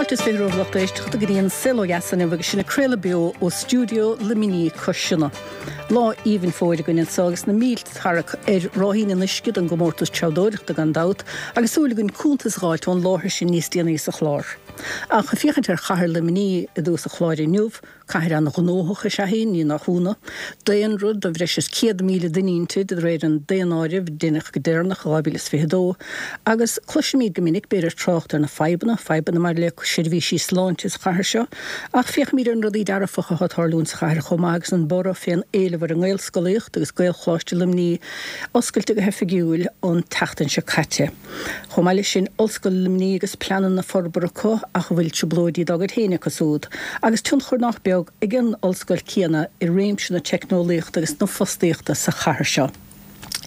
Fáilte is 20 romhaibh lucht éisteachta go dtí an Saol Ó Dheas inniu agus sinn ag craoladh beo ó stiúideo Luimnigh cois Sionna. Lá aoibhinn fómhair againn anseo agus na mílte tarrac ar ráithín an uisce don gcomórtas treabhdóireachta gan dabht agus súil againn cuntas a dh'fháilt ón láthair sin níos déanaí sa chlár. Ach ag féachaint ar chathair Luimnigh i dtús an chláir inniu, Cathair an-ghnóthach is ea í, ní nach ionadh. Daonra de bhreis is 100,000 duine inti, de réir an daonáirimh a deineadh go deireanach i 2022, agus cloisimid go minic, b'fhéidir, trácht ar na fadhbanna, fadhbanna maidir le seirbhísí sláinte sa chathair seo, ach féachaimid ar na rudaí dearfacha atá ag tarlúint sa chathair chomh maith agus an borradh fén éileamh ar an nGaelscolaíocht agus Gaelcholáiste Luimnigh oscailte go hoifigiúil an tseachtain seo caite. Chomh maith leis sin, Ollscoil Luimnigh agus pleananna forbartha acu ach a bhfuil trioblóidí dá gcuid féin acu súd, agus tionchar nach beag ag an ollscoil céanna i réimse na teicneolaíochta agus na fostaíochta sa chathair seo.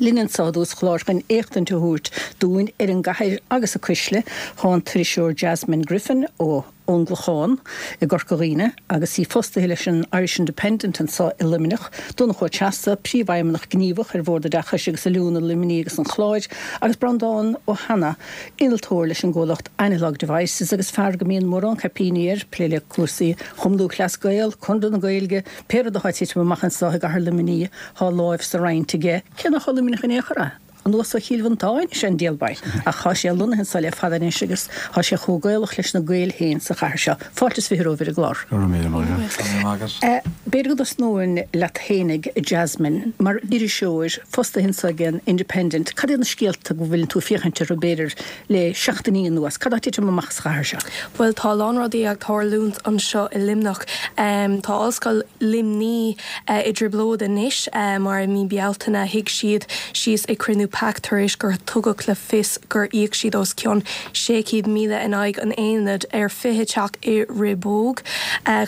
Linn anseo i dtús an chláir chun éachtaint a thabhairt dúinn ar an gcathair agus a cuisle, tá an t-iriseoir Jasmine Griffin ó. ón gClochán i gCorca Dhuibhne agus í fostaithe leis an Irish Independent anseo i Luimneach, Donncha Ó Treasa, Príomhfheidhmeannach Gníomhach ar Bhord Oideachais agus Oiliúna Luimnigh agus an Chláir, agus Breandán Ó hAnnaidh, innealtóir leis an gcomhlacht Analog Devices agus fear go mbíonn mórán caipíní air, plé le cúrsaí Chumann Lúthchleas Gael, Conradh na Gaeilge, pé rud atá ag titim amach anseo i gcathair Luimnigh, tá láimh sa roinnt aige, cé nach ó Luimneach in aon chor é. Anuas ó Chill Mhantáin is ea an diabhal é, ach thá sé lonnaithe anso le fada anois agus thá sé chomh Gaelach leis na Gaeil féin sa chathair seo. Fáilte is 20 romhaibh ar an gclár. Go raibh míle maith agat. Go raibh maith agat. B'fhéidir go dtosnóinn leat fhéinig, a Jasmine, mar iriseoir, fostaithe anso ag an Independent, cad iad na scéalta go bhfuileann tú ag féachaint orthu, b'fhéidir, le seachtainí anuas? Cad tá ag titim amach sa chathair seo? Bhuel, tá a lán rudaí ag tarlúint anseo i Luimneach. Tá Ollscoil Luimnigh i dtrioblóid anois mar i mí Bealtaine shuigh siad síos ag cruinniú pac tar éis gur tugadh le fios gur íoc siad os cionn 600,000 in aghaidh an aonaid ar 20 teach i Riobóg.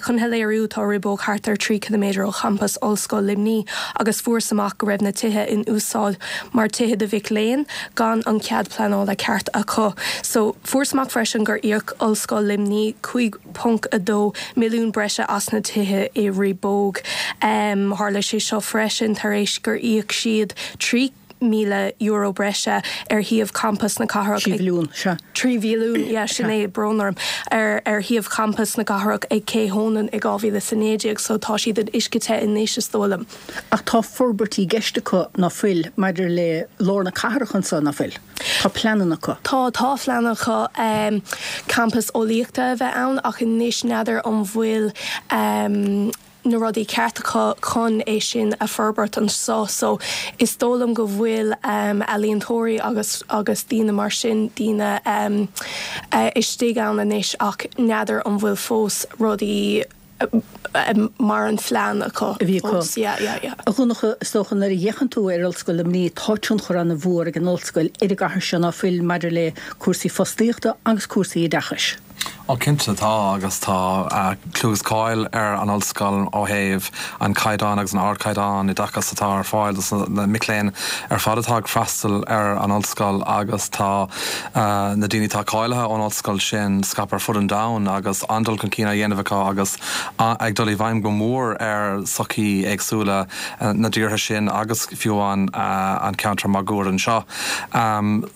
Chun a léiriú, tá Riobóg thart ar 3 ciliméadar ó champas Ollscoil Luimnigh agus fuarthas amach go raibh na tithe in úsáid mar tithe do mhic léinn gan an cead pleanála ceart acu. So, fuarthas amach freisin gur íoc Ollscoil Luimnigh 5. 0.2 milliún breise as na tithe i Riobóg. Tharla sé seo freisin tar éis gur íoc siad €3,000 breise ar shuíomh champas na cathrach ag. 3 mhilliún, sea. 3 mhilliún, yeah, sin é, brón orm, ar ar shuíomh champas na cathrach ag Cé Hónáin i 2019 so tá siad in uisce te anois is dóigh liom. Ach tá forbairtí i gceist acu, ná fuil, maidir le lár na cathrach anso, ná fuil? Tá pleananna acu. Tá, tá pleananna acu campas eolaíochta a bheith ann ach anois n'fheadar an bhfuil na rudaí ceart acu chun é sin a forbairt anseo. So is dóigh liom go bhfuil ealaíontóirí agus agus daoine mar sin, daoine istigh ann anois ach n'fheadar an bhfuil fós rudaí mar an phlean acu a bhí acu. Yeah, yeah, yeah. A Dhonncha, is dócha nuair a fhéachann tú ar Ollscoil Luimnigh, tá tionchar an-mhór ag an ollscoil ar an gcathair seo, ná fuil, maidir le cúrsaí fostaíochta agus cúrsaí oideachais. Ó cinnte tá agus tá clú agus cáil ar an ollscoil ó thaobh an caighdeán agus an ardchaighdeán oideachais atá ar fáil dos na mic léinn ar fad atá ag freastal ar an ollscoil agus tá na daoine atá cáilithe ón ollscoil sin scaipthe ar fud an domhain agus an-dul chun cinn á dhéanamh acu agus ag dul i bhfeidhm go mór ar sochaí éagsúla na dtíortha sin agus fiú amháin an ceantar máguaird anseo.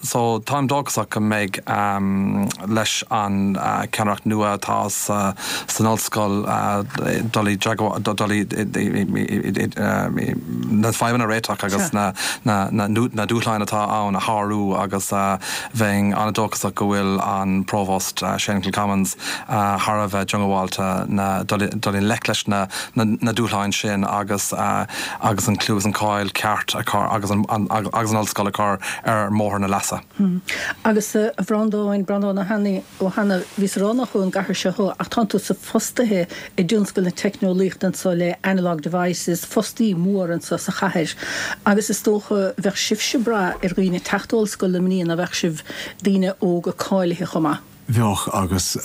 So táim dóchasach go mbeidh leis an ceannaireacht nua atá san ollscoil dul i dul i na fadhbanna a réiteach agus na na dúshláin atá ann a shárú agus bheinn an-dóchasach go bhfuil an Provóst Shane Kilcommons thar a bheith diongbháilte na dul i ngleic leis na na dúshláin sin agus agus an clú agus an cáil ceart a chur agus an agus an ollscoil a chur ar mbóthar na leasa. Agus a Bhreandáin, Breandán Ó hAnnaidh, Ó hAnnaidh, bhíos ag rá nach ón gcathair seo thú ach tánn tusa fostaithe i dtionscal na teicneolaíochta anso le Analog Devices, fostaí mór anso sa chathair agus is dócha bheadh sibhse ag brath ar dhaoine teacht ó Ollscoil Luimnigh ná bheadh sibh, daoine óga cáilithe chomh maith? Bheadh agus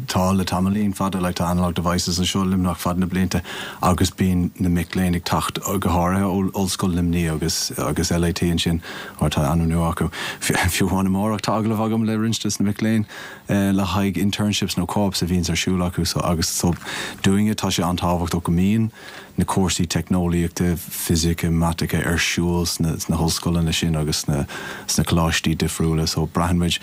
tá le tamaillín fada, like tá Analog Devices anseo i Luimneach fad na blianta agus bíonn na mic léinn ag teacht go háirithe ó Ollscoil Luimnigh agus agus LIT ansin. Mar tá ainm nua acu. Fiú amháin amárach tá agallamh agam le roinnt des na mic léinn le haghaidh internships nó co-ops a bhíonns ar siúl acu so agus so dúinne tá sé an-tábhachtach go mbíonn na cúrsaí teicneolaíochta, fisice, maitice ar siúl sna sna hollscoileanna sin agus sna sna coláistí difriúla so braitheann muid.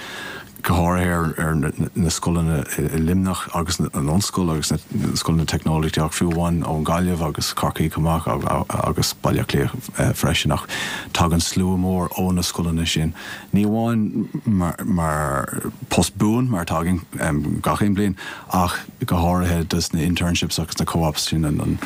Go háirithe ar na scoileanna i Luimneach agus an Ollscoil agus na scoileanna teicneolaíochta ach fiú amháin ón Ghaillimh agus Corcaigh chomh maith agus Baile Átha Cliath freisin ach tagann slua mór ó na scoileanna sin ní amháin mar post buan mar atá againn gach aon bliain ach go háirithe dos na internships agus na co-ops sin an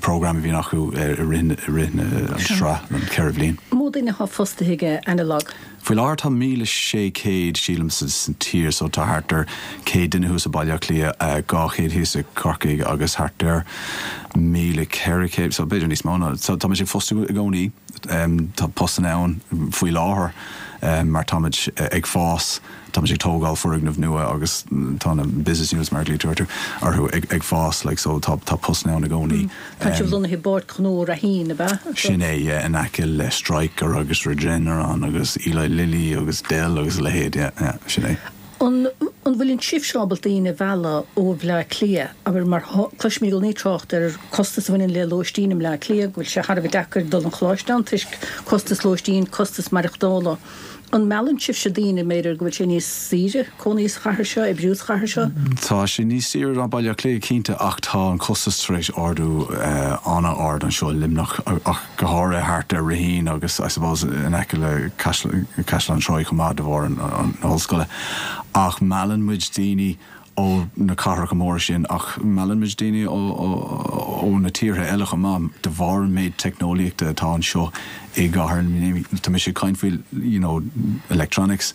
program a bhíonn acu i rith na sraith an 4 bhliain. Mó duine atá fostaithe ag Analogue? Faoi láthair tá 1,600 sílim sa tír so tá thart ar 100 duine thuas i Baile Átha Cliath, 200 thíos i Corcaigh agus thart ar 1,400 so b'fhéidir níos mó ná so táimid ag fostú i gcónaí. Tá postanna ann faoi láthair mar táimid ag fás, táimid ag tógáil foirgneamh nua agus tá na business units mar a ghlaoitear orthu ag fás like so tá postanna ann i gcónaí. Tá sibh lonnaithe i bPáirc Ghnó Raheen, ab ea? Sin é, yeah, in aice le Stryker agus Regeneron agus Eli Lilly agus Dell agus a leithéid, yeah, yeah, sin é. An an bhfuil sibhse ábalta daoine a mhealladh ó Bhleá Cliath, abair, mar cloisimid i gcónaí trácht ar costas a bhaineann le lóistín i mBleá Cliath, go bhfuil sé thar a bheith deacair dul chun choláiste ann toisc costas lóistín, costas maireachtála. An meallann sibhse daoine, b'fhéidir, go bhfuil sé níos saoire cónaí sa chathair seo, oibriú sa chathair seo? Tá sé níos saoire ná Baile Átha Cliath, cinnte, ach tá an costas tar éis ardú an-ard anseo i Luimneach, ach go háirithe thart ar Raheen agus, I suppose, in aice le Caisleán Troy chomh maith de bharr na hollscoile. Ach meallann muid daoine ó na cathracha móra sin ach meallann muid daoine ó na tíortha eile chomh maith de bharr an méid teicneolaíochta atá anseo i gcathair Luimnigh. Tá mise ag caint faoi you know electronics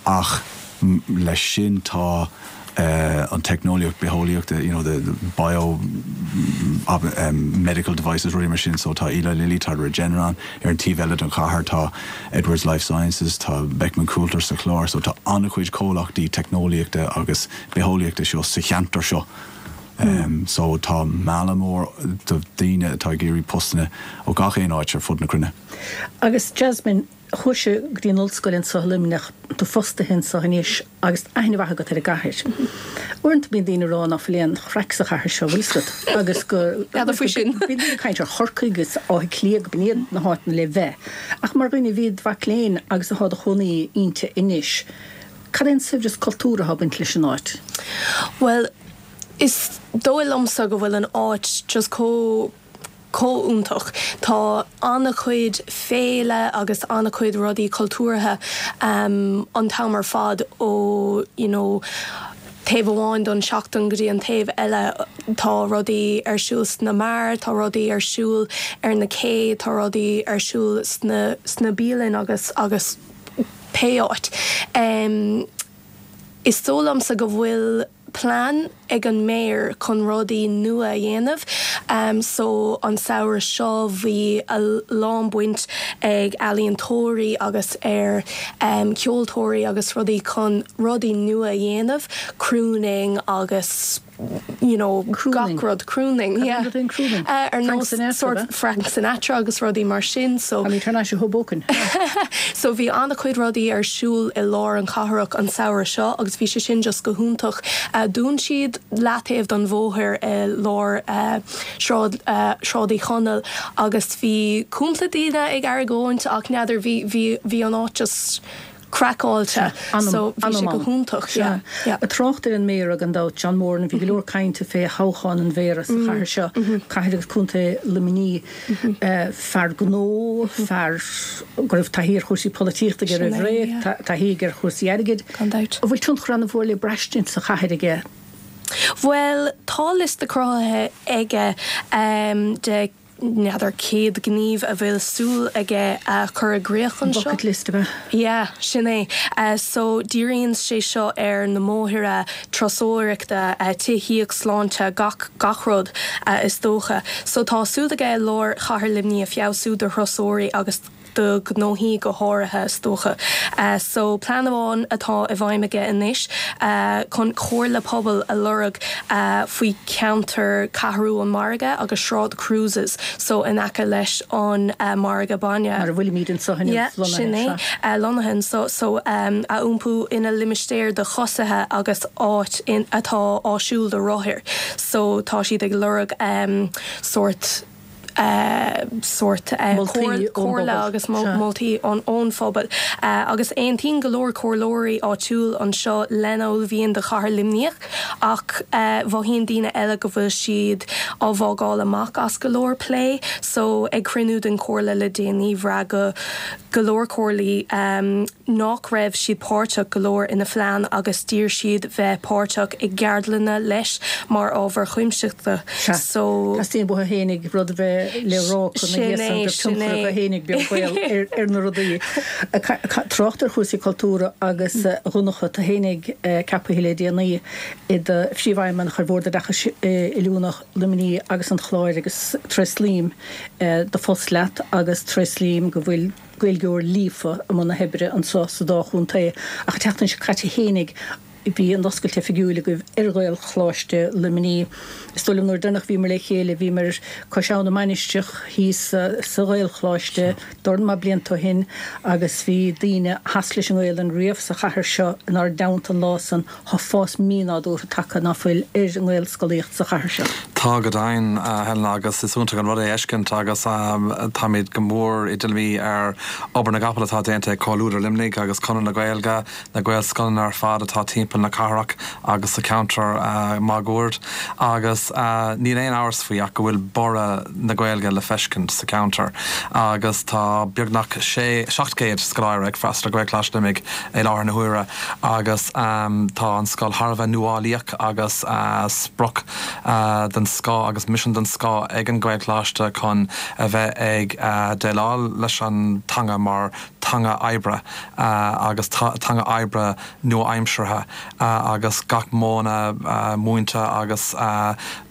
ach leis sin tá an teicneolaíocht bitheolaíochta you know the bio medical devices rudaí mar sin so tá Eli Lilly tá Regeneron ar an taobh eile den chathair tá Edwards Lifesciences, tá Beckman Coulter sa Chlár, so tá an-chuid comhlachtaí teicneolaíochta agus bitheolaíochta seo sa cheantar seo. So tá mealladh mór do daoine atá ag iarraidh postanna ó gach aon áit ar fud na cruinne. Agus Jasmine, chuais go dtí an ollscoil anseo i Luimneach, tú fostaithe anseo anois. Agus aithne mhaith agat ar an gcathair. Uaireanta bíonn daoine ag rá ná fuil aon chraic sa chathair seo, bhfuil 'fhios agat, agus go. N'fheadar faoi sin. Bíonn daoine ag caint ar Chorcaigh agus Áth Cliath, go b'in iad na háiteanna le bheith. Ach mar dhuine a bhí id mhac léinn agus atá do chónaí inti anois, cad é an saibhreas cultúrtha atá ag baint leis an áit? Bhuel, is dóigh liomsa go bhfuil an áit just chomh. chomh iontach. Tá an-chuid féile agus an-chuid rudaí cultúrtha an t-am ar fad ó you know taobh amháin don seachtain go dtí an taobh eile. Tá rudaí ar siúl sna beáir, tá rudaí ar siúl ar na cé, tá rudaí ar siúl sna sna bialann agus agus pé áit. Is dóigh liomsa go bhfuil plean ag an Mayor chun rudaí nua a dhéanamh so an samhradh seo bhí a lán baint ag ealaíontóirí agus ar ceoltóirí agus rudaí chun rudaí nua a dhéanamh, crooning agus you know gach rud, crooning yeah ar nós sort Frank Sinatra agus rudaí mar sin so. Táimid thar n-ais i Hoboken. So bhí an-chuid rudaí ar siúl i lár an chathrach an samhradh seo agus bhí sé sin just go hiontach. Dún siad leataobh don bhóthar i lár Sráid Sráid Uí Chonaill agus bhí cúpla daoine ag argóint ach n'fheadar bhí bhí bhí an áit just craiceáilte so bhí sé go hiontach yeah yeah. Ag trácht ar an Méara gan dabht, John Moran, bhí go leor cainte fé thoghchán an Mhéara sa chathair seo, cathair agus contae Luimnigh. Fear gnó, fear go raibh taithí ar chúrsaí polaitíochta aige roimh ré, taithí aige ar chúrsaí airgid. Gan dabht. An bhfuil tionchar an-mhór le braistint sa chathair aige? Bhuel, tá liosta cruthaithe aige de n'fheadar 100 gníomh a bhfuil súil aige a chur i gcríoch anseo. Bucket list, ab ea? Yeah, sin é. So, díríonn sé seo ar na mbóithre, turasóireachta, tithíocht, sláinte, gach, gach rud, is dócha. So, tá súil aige lár chathair Luimnigh a feabhsú do thurasóirí agus do ghnóthaí go háirithe, is dócha. So, plean amháin atá i bhfeidhm aige anois chun comhairle pobail a lorg faoi cheantar Cheathrú an Mhargaidh agus Sráid Cruises, so in aice leis an margadh bainne. Mar a bhfuilimid anseo inniu, Yeah, sin é. Lonnaithe anseo, so a iompú ina limistéar do choisithe agus áit atá áisiúil do rothair. So, tá siad ag lorg sórt. Sórt comhairle agus moltaí ón phobal. Agus aontaíonn go leor comhairleoirí áitiúil anseo lena uaillmhian do chathair Luimneach ach mhothaíonn daoine eile go bhfuil siad á bhfágáil amach as go leor plé. So ag cruinniú den chomhairle le déanaí bhraith go go leor comhairlí nach raibh siad páirteach go leor ina phlean agus d'iarr siad bheith páirteach i gceardlanna leis mar ábhar cuimsitheach. Sea. So. Teastaíonn uathu fhéinig rud a bheith le rá acu ina dhiaidh san, go raibh tionchar acu fhéinig, beag baol, ar na rudaí. Trácht ar chúrsaí cultúrtha agus a Dhonncha, tú fhéinig ceapaithe le déanaí i do phríomhfheidhmeannach ar Bhord Oideachais Oiliúna Luimnigh agus an Chláir agus tréaslaím do phost leat agus tréaslaím go bhfuil Gaeilgeoir líofa i mbun na hoibre anseo sa dá chontae. Ach an tseachtain seo caite fhéinig bhí an oscailt oifigiúil agaibh ar Ghaelcholáiste Luimnigh. Is dóigh liom nuair deireanach bhíomar le chéile bhíomar cois Abha na Mainistreach thíos sa Ghaelcholáiste dorn maith blianta ó shin agus bhí daoine a sheas leis an nGaelainn riamh sa chathair seo inár dteannta an lá san. Tá fás mínádúrtha tagtha, ná fuil, ar an nGaelscolaíocht sa chathair seo. Tá go deimhin, a Helen, agus is iontach an rud é a fheiscint agus táimid go mór i dtuilleamaí ar obair na gcapall atá déanta ag Comhluadar Luimnigh agus Conradh na Gaeilge, na Gaelscoileanna ar fad atá timpeall na cathrach agus sa cheantar máguaird agus níl aon amhras faoi ach go bhfuil borradh na Gaeilge le feiscint sa cheantar agus tá beagnach 700 scoláire ag freastal ar Ghaelcholáiste Luimnigh i láthair na huaire agus tá an scoil thar a bheith nuálaíoch agus sprioc den scoth agus misean den scoth ag an Ghaelcholáiste chun a bheith ag déileáil leis an teanga mar teanga oibre agus teanga oibre nua-aimseartha agus gach modhanna múinte agus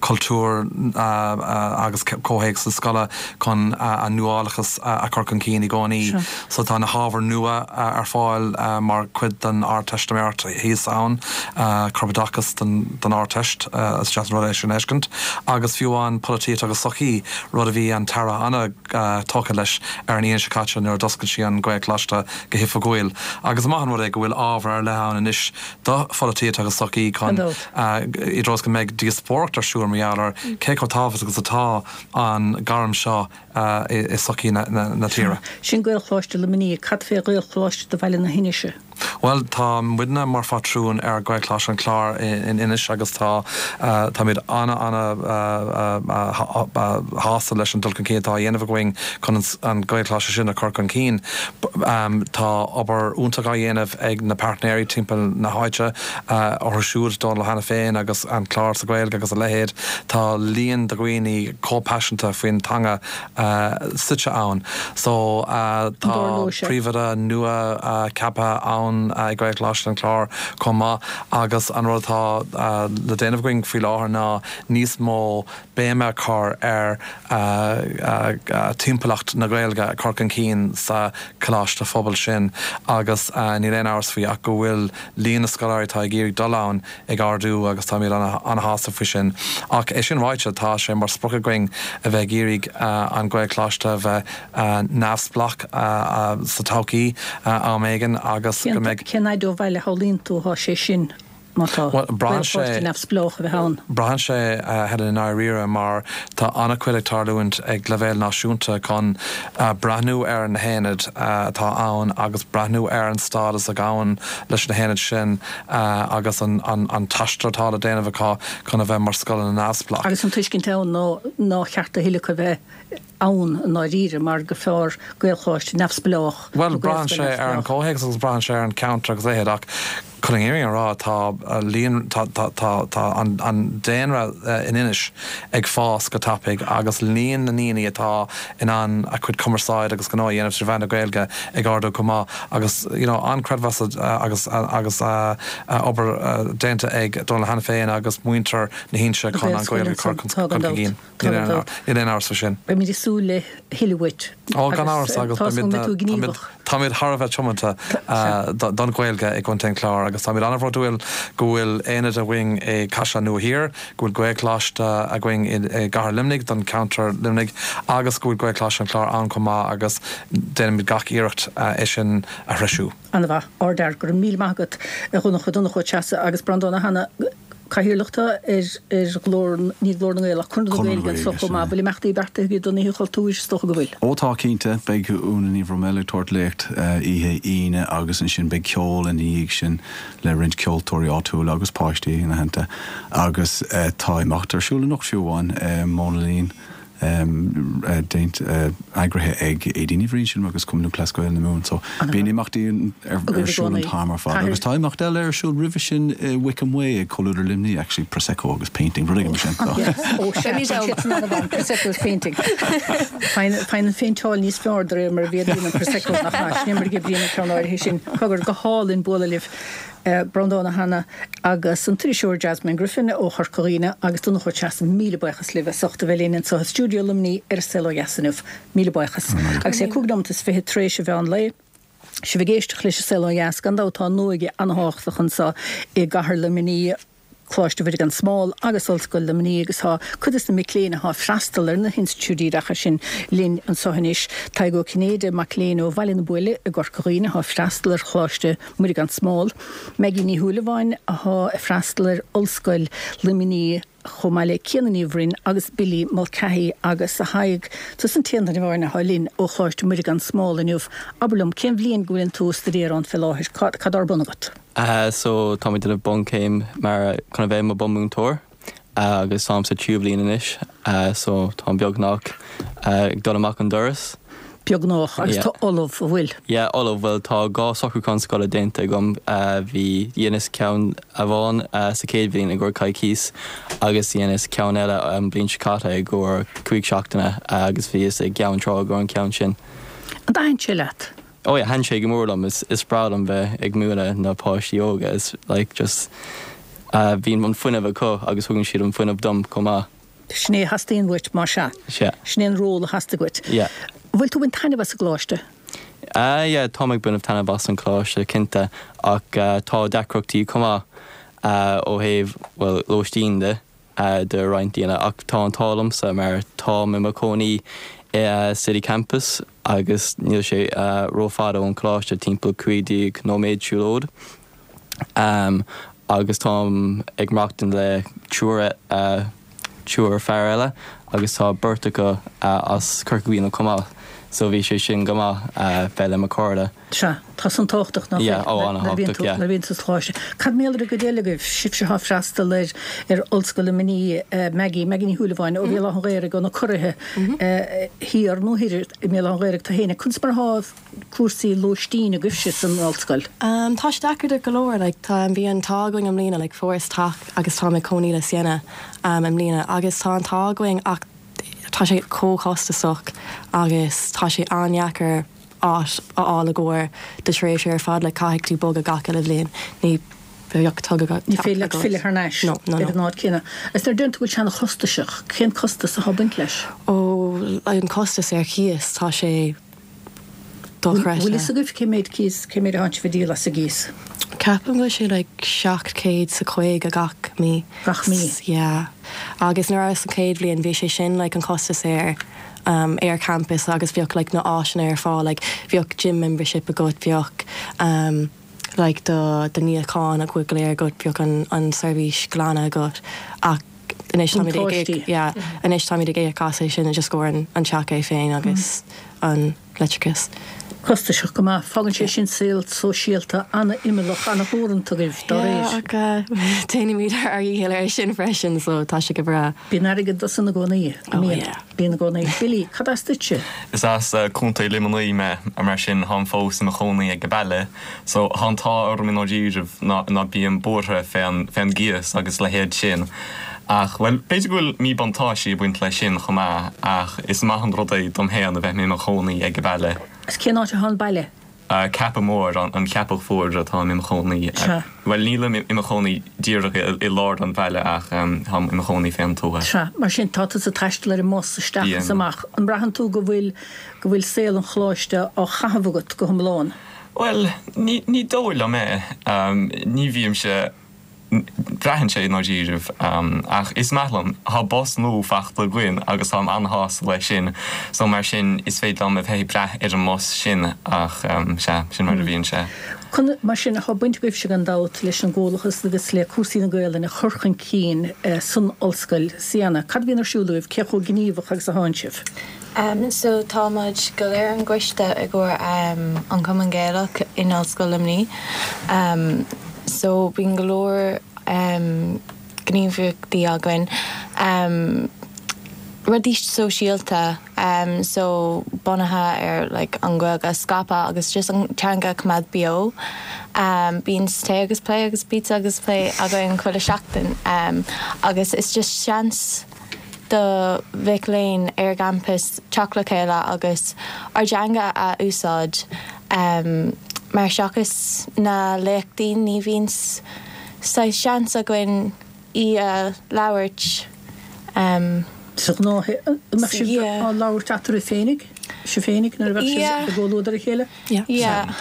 cultúr agus comhthéacs na scoile chun an nuálachas a chur chun cinn i gcónaí. So tá na hábhair nua ar fáil mar chuid den Ardteistiméireacht thíos ann, Corpoideachas don Ardteist, is deas an rud é sin a fheiscint, agus fiú amháin Polaitíocht agus Sochaí, rud a bhí an tAire an-tógtha leis ar an Aoine seo caite nuair a d'oscail sí an Gaelcholáiste go hoifigiúil. Agus is maith an rud é go bhfuil ábhar ar leith ann anois do pholaitíocht agus sochaí chun i dtreo is go mbeidh díospóireacht ar siúl mar gheall ar cé chomh tábhachtach is atá an gairm seo i sochaí na tíre. Sin Gaelcholáiste Luimnigh. Cad fé Ghaelcholáiste do Bhaile na hInse? Bhuel, tá muidne mar phátrún ar Ghaelcholáiste an Chláir in Inis agus tá táimid ana ana shásta leis an dul chun cinn atá á dhéanamh againn chun an Gaelcholáiste sin a chur chun cinn. Tá obair iontach á dhéanamh ag na pairtnéirí timpeall na háite, orthu siúd Dónal Ó hAiniféin agus an Clár sa Ghaeilge agus a leithéid. Tá líon de dhaoine chomh paiseanta faoin teanga suite ann. So tá príomhoide nua ceaptha ann i Gaelcholáiste an Chláir chomh maith agus an rud atá le déanamh againn faoi láthair ná níos mó béime a chur ar timpeallacht na Gaeilge a chur chun cinn sa choláiste phobail sin agus níl aon amhras faoi ach go bhfuil líon na scoláirí atá ag iarraidh dul ann ag ardú agus táimid an-shásta faoi sin. Ach é sin ráite, tá sé mar sprioc againn a bheith ag iarraidh an Gaelcholáiste a bheith neamhspleách sa todhchaí am éigin agus go mbeidh. Cén fhaid ó bhaile a shamhlaíonn tú atá sé sin? má tá Gaelcholáiste neamhspleách a bheith ann. Braitheann sé, a Helen, i ndáiríre, mar tá an-chuid ag tarlúint ag leibhéal náisiúnta chun breathnú ar na haonaid atá ann agus breathnú ar an stádas a ghabhann leis na haonaid sin agus an t-aistear atá le déanamh acu chun a bheith mar scoileanna neamhspleách. Agus an tuiscint ann ná nár cheart a thuilleadh acu a bheith ann i ndáiríre mar gur fearr Gaelcholáiste neamhspleách nó Bhuel, braitheann Gaelscoil sé ar an neamhspleách. chomhthéacs agus braitheann sé ar an cheantar agus a leithéid ach chun an fhírinne a rá tá líon, tá, tá, tá, tá an, an daonra in Inis ag fás go tapaidh agus líon na ndaoine atá in ann a chuid cumarsáid agus gnó a dhéanamh trí mheán na Gaeilge ag ardú chomh maith agus you know an-chreidmheas agus agus obair déanta ag Dónal Ó hAiniféin agus muintir na hInse Na chun an Gaelscoil Ghaeilge a chur ansan, tá chun gan dabht, cinn. tá gan dabht. Níl aon amhras faoi sin. Beimid ag súil le thuilleadh uait Ó gan agus amhras agus tá súil go mbeidh tú beimid gníomhach. Táimid thar a bheith tiomanta don Ghaeilge i gContae an Chláir agus táimid an-bhródúil go bhfuil aonad againn i gCaisleán Nua Thiar, go bhfuil Gaelcholáiste againn i gCathair Luimnigh don cheantar Luimnigh agus go bhfuil Gaelcholáiste an Chláir ann chomh maith agus déanaimid gach iarracht é sin a threisiú. An-mhaith. Ardfhear. Go raibh míle maith agat, a Dhonncha, Donncha Ó Treasa agus Breandán Ó hAnnaidh. Cathaoirleach tú ar ar Ghlór, ní Glór na nGael ach Conradh na Gaeilge anseo chomh maith. Bhfuil imeachtaí beartaithe agaibh don Oíche Chultúir? Is dócha go bhfuil. Ó tá, cinnte. Beidh Úna Ní Bhroiméil ag tabhairt léacht oíche Aoine agus ansin beidh ceol ina dhiaidh sin le roinnt ceoltóirí áitiúla agus páistí ina theannta. Agus tá imeacht ar siúl anocht fiú amháin, Mónaleen. déanta, eagraithe ag Aedín Ní Bhriain, sílim, agus Cumann Lúthchleas Gael na Mumhan. So bíonn imeachtaí ar siúl an t-am ar fad. Agus tá imeacht eile ar siúl roimhe sin i Wickham Way ag Comhluadar Luimnigh, actually, Prosecco agus painting, rud éigin mar sin. Ó sea, Prosecco agus painting. Faigheann an phéinteáil níos fearr de réir mar a mhéadaíonn an Prosecco, nach ea? Sin é mar a oibríonn an ceann áirithe sin. Cogar, go hálainn bualadh libh. Breandán Ó hAnnaidh agus an t-iriseoir Jasmine Griffin ó Chorca Dhuibhne agus Donncha Ó Treasaigh, míle buíochas libh as ucht a bheith linn anseo i stiúideo Luimnigh ar An Saol Ó Dheas inniu. Míle buíochas. Agus é 5 nóimeat is 20 tar éis an mheán lae, sibh ag éisteacht leis An Saol Ó Dheas, gan dabht tá an óige an-thábhachtach anseo i gcathair Luimnigh. Coláiste Mhuire gan Smál agus Ollscoil Luimnigh agus tá cuid des na mic léinn atá ag freastal ar na hinstitiúidí oideachais sin linn anseo anois. Tadhg Ó Cinnéide, mac léinn ó Bhaile na Buaile i gCorca Dhuibhne atá ag freastal ar Choláiste Mhuire gan Smál. Maggie Ní Shúilleabháin atá ag freastal ar Ollscoil Luimnigh chomh maith le Ciana Ní Bhroin agus Billy Mulcahy agus a Thaidhg, tusa an t-aon duine amháin atá linn ó Choláiste Mhuire gan Smál inniu. Abair liom, cén bhliain go bhfuileann tú ag staidéar ann fé láthair? Cad atá ar bun agat? So tá mé ag déanamh bunchéim mar chun a bheith i mo bunmúinteoir agus táim sa tríú bhliain anois so táim beagnach ag dul amach an doras. Beagnach, agus tú ullamh, an bhfuil? Yeah, ullamh, bhuel tá 2 socrúchán scoile déanta agam, bhí, dheineas ceann amháin sa chéad bhliain i gcomhair coicíos agus dheineas ceann eile an bhliain seo caite i gcomhair 5 seachtaine agus bhíos i gCeann Trá i gcomhair an ceann sin. An dtaitníonn sé leat? Oh yeah, thaitin sé go mór liom. Is breá liom bheith ag múineadh na páistí óga. Is like just bíonn an fuinneamh acu agus thugann siad an fuinneamh dom chomh maith. Sin é a theastaíonn uait, más ea? Sea. Sin é an ról a theastaigh uait. Yeah. Bhfuil tú ag baint taitneamh as an gcoláiste? Ah yeah, táim ag baint taitneamh as an choláiste, cinnte, ach tá deacrachtaí chomh maith ó thaobh, bhuel, lóistín de. do roinnt daoine ach tá an t-ádh liomsa mar táim i mo chónaí i City Campus agus níl sé rófhada ón choláiste, timpeall 15 nóiméad siúlóid agus táim ag maireachtaint le triúr triúr fear eile agus tá beirt acu as Corca Dhuibhne chomh maith so bhí sé sin go maith bheith le mo chairde. Sea, tá san tábhachtach, nach bhfuil? Ó, an-thábhachtach, yeah. Nuair a bhíonn tú sa choláiste. Cad mar gheall ar an gcuid eile agaibh, sibhse atá ag freastal ar ar Ollscoil Luimnigh, Maggie, Maggie Ní Shúilleabháin ó Bhéal Átha an Ghaorthaidh, ó na Curraithe thiar nó thoir i mBéal Átha an Ghaorthaidh tú féin. Conas mar atá cúrsaí lóistín agaibhse san ollscoil? Tá sé deacair do go leor, like tá, bhí an t-ádh againn i mbliana, like fuaireas teach agus táim ag cónaí le Sienna i mbliana agus tá an t-ádh againn ach tá sé chomh costasach agus tá sé an-deacair áit a fháil i gcomhair do thréimhse ar fad, like caithfidh tú bogadh gach uile bhliain, ní bheadh teach agat. Ní féidir leat filleadh thar n-ais No, no, ar an áit céanna. Agus nuair a deireann tú go bhfuil sé an-chostasach, cén costas atá ag baint leis? Ó, an costas ar chíos, tá sé dochreidte. Bhfuil fhios agaibh cé méid cíos, cé méid atánn sibh ag díol as an gcíos? Ceapaim go bhfuil sé like 750 gach mí. Gach mí? Yeah. Agus nuair a rabhas sa chéad bhliain bhí sé sin like an costas ar ar campus agus bheadh like na áiseanna ar fáil like bheadh gym membership agat bheadh um like do do níochán go léir agat bheadh an an seirbhís glanadh agat ach anois táimid ag íoc yeah anois táimid ag íoc as é sin just i gcomhair an an teach é féin agus an leictreachas. Costasach go maith. Fágann sé sin saol sóisialta an-imeallach, an-theoranta agaibh dá réir. Yeah ach déanaimid ár dhícheall air sin freisin so tá sé go breá. Bíonn airgead dó san i gcónaí. Oh yeah. Bíonn i gcónaí. Billy, cad as duitse? Is as Contae Luimnigh mé, mar sin táim fós i mo chónaí ag baile. So tá an t-ádh orm i ndáiríribh ná ná bím buartha fén fén gcíos agus a leithéid sin. Ach, bhuel, b'fhéidir go bhfuil míbhuntáistí ag baint leis sin chomh maith, ach is maith an rud é dom féin a bheith i mo chónaí ag baile. Agus cén áit atá an baile? Ceapadh Mór, an Cheapach Mhór atáim i mo chónaí. Sea. Bhuel, nílim i mo chónaí díreach i lár an bhaile ach táim i mo chónaí fén tuath. Sea. Mar sin, tá tusa ag taisteal ar an mbus isteach is amach. An mbraitheann tú go bhfuil, go bhfuil saol an choláiste á chaitheamh agat go hiomlán? Bhuel, ní, ní dóigh liom é. Ní bhímse. Braitheann sé i ndáiríribh. Ach is maith liom. Tá bus nua fachta againn agus táim an-shásta leis sin. So mar sin is féidir liom a bheith ag brath ar an mbus sin ach sea, sin mar a bhíonn sé. Conas mar sin, tá baint agaibhse gan dabht leis an gComhlachas agus le cúrsaí na Gaelainne a chur chun cinn san ollscoil. Sienna, cad a bhíonn ar siúl agaibh? Cé chomh gníomhach agus atánn sibh? So tá muid go léir ar an gcoiste i gcomhair an Cumann Gaelach in Ollscoil Luimnigh. So bíonn go leor gníomhaíochtaí againn. Rudaí sóisialta so bunaithe ar like an Ghaeilge a scaipeadh agus just an teanga a choimeád beo. Bíonn tae agus plé agus pizza agus plé againn chuile seachtain agus is just seans do mhic léinn ar an gcampas teacht le chéile agus ár dteanga a úsáid mar seachas na léachtaí ní bhíonn saghas seans againn í a labhairt. Sa ghnáthshaol, an mbeadh sibh á labhairt eatarthu féinig, sibh féinig nuair a bheadh sibh i gcomhluadar a chéile? Yeah.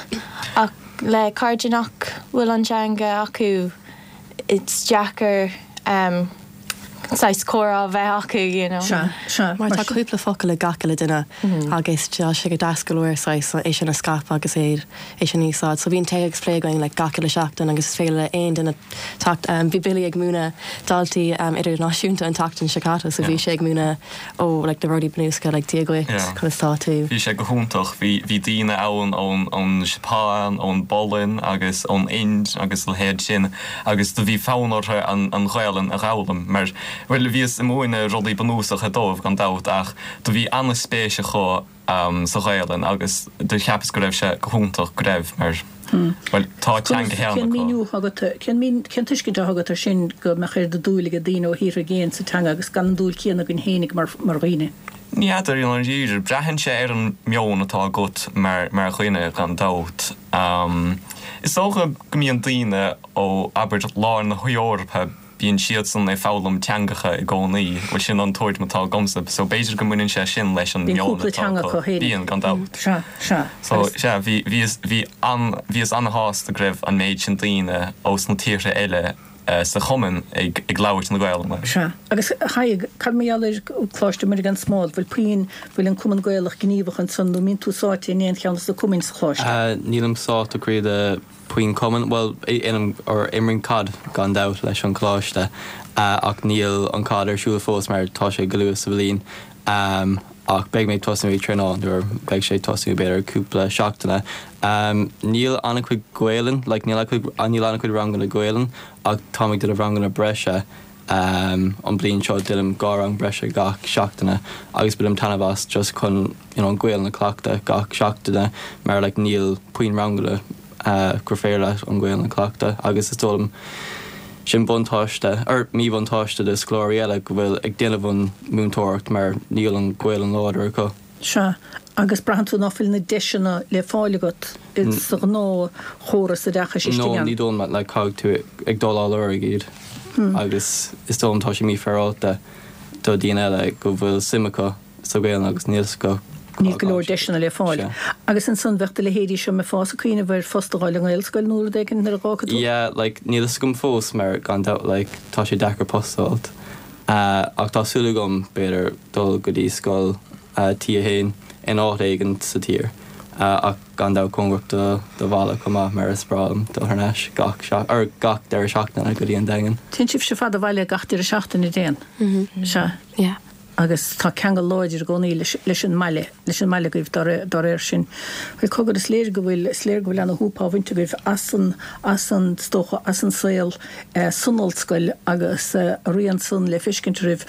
Ach le cairde nach bhfuil an teanga acu it's deacair saghas comhrá a bheith acu, you know. Sea, sea. Mar tá cúpla focal ag gach uile duine agus tá sé go deas go leor saghas é sin a scaipeadh agus é é sin a úsáid. So bíonn tae agus plé againn like gach uile seachtain agus is féidir le aon duine teacht. Bhí Billy ag múineadh daltaí idirnáisiúnta an tseachtain seo caite so bhí sé ag múineadh ó like na rudaí bunúsacha like Dia dhuit, conas tá tú. Bhí sé go hiontach. Bhí bhí daoine ann ón ón Seapáin, ón bPolainn agus ón Ind agus a leithéid sin agus do bhí fonn orthu an an Ghaelainn a dh'fhoghlaim mar bhuel bhíos ag múineadh rudaí bunúsacha dóibh gan dabht ach do bhí an-spéis acu sa Ghaelainn agus do cheapas go raibh sé go hiontach go raibh mar bhuel tá a teanga féin Cén míniú atá agat, cén mín, cén tuiscint atá agat ar sin go mbeadh oiread de dúil ag daoine ó thíortha i gcéin sa teanga agus gan an dúil céanna againn féinig mar, mar dhaoine? Ní fheadar i ndáiríre, braitheann sé ar an meon atá agat mar, mar dhuine gan dabht. Is dócha go mbíonn daoine ó, abair, lár na hEorpa, Bíonn siadsan ag foghlaim teangacha i gcónaí, bhuel sin an tuairim atá agamsa, so b'fhéidir go mbaineann sé sin leis an Bíonn meon cúpla atá teanga acu. acu féinig. Bíonn, gan dabht. Sea, sea. So, Agus. sea, bhí, bhíos, bhí an, bhíos an-shásta go raibh an méid sin daoine ós na tíortha eile sa chumann ag, ag labhairt na Gaelainne. Sea. Agus, a Thaidhg, cad mar gheall ar Coláiste Muire gan Smál, bhfuil puinn, bhfuil an Cumann Gaelach gníomhach ansan nó mbíonn tú sáite in aon cheann de na cumainn sa Choláiste? Nílim sáite go dtí puinn cumann, bhuel, or imrím caid gan dabht leis an choláiste ach níl an caid ar siúl fós mar tá sé go luath sa bhliain ach beidh mé ag tosnú ag traenáil nuair beidh sé ag tosnú b'fhéidir cúpla seachtaine. Níl an-chuid Gaelainn, like níl níl an-chuid ranganna Gaelainn ach táim ag déanamh ranganna breise An bliain seo déanaim 2 rang breise gach seachtaine agus bainim taitneamh as just chun you know an Ghaelainn a chleachtadh gach seachtaine mar like níl puinn ranganna gur féidir leat an Ghaelainn a chleachtadh agus is dóigh liom sin buntáiste or míbhuntáiste do scoláirí eile go bhfuil ag déanamh an múinteoireacht mar níl an Ghaelainn láidir acu. Sea, agus braitheann tú ná fuil na deiseanna le fáil agat sa ghnáthchóras oideachais istigh No, ann? ní dóigh liom, like caithfidh tú ag dul á lorg iad agus is dóigh liom tá sé mífhéaráilte do daoine eile go bhfuil suim acu sa Ghaelainn agus níl 's acu Níl go leor deiseanna le fáil. Sea. Agus ansan bheadh do leithéidí seo mbeifeá ag cuimhneamh ar phost a fháil i nGaelscoil nó rud éigin nuair a dh'fhágfaidh tú? Yeah, like níl 'fhios agam fós mar gan dabht like tá sé deacair post a fháilt. Ach tá súil agam b'fhéidir dul go dtí scoil T1 in áit éigin sa tír ach gan dabht cóngarach do do bhaile chomh maith mar is breá liom dul thar n-ais gach or gach deireadh seachtaine go dtí an Daingean. Téann sibhse fada abhaile gach deireadh seachtaine, dtéann? Sea. Yeah. Agus tá ceangal láidir i gcónaí leis leis an mbaile, leis an mbaile agaibh dá dá réir sin. Bhuel cogar is léir go bhfuil, is léir go bhfuil ana-shúp á bhaint agaibh as an, as an, is dócha, as an saol san ollscoil agus a rian san le feiscint oraibh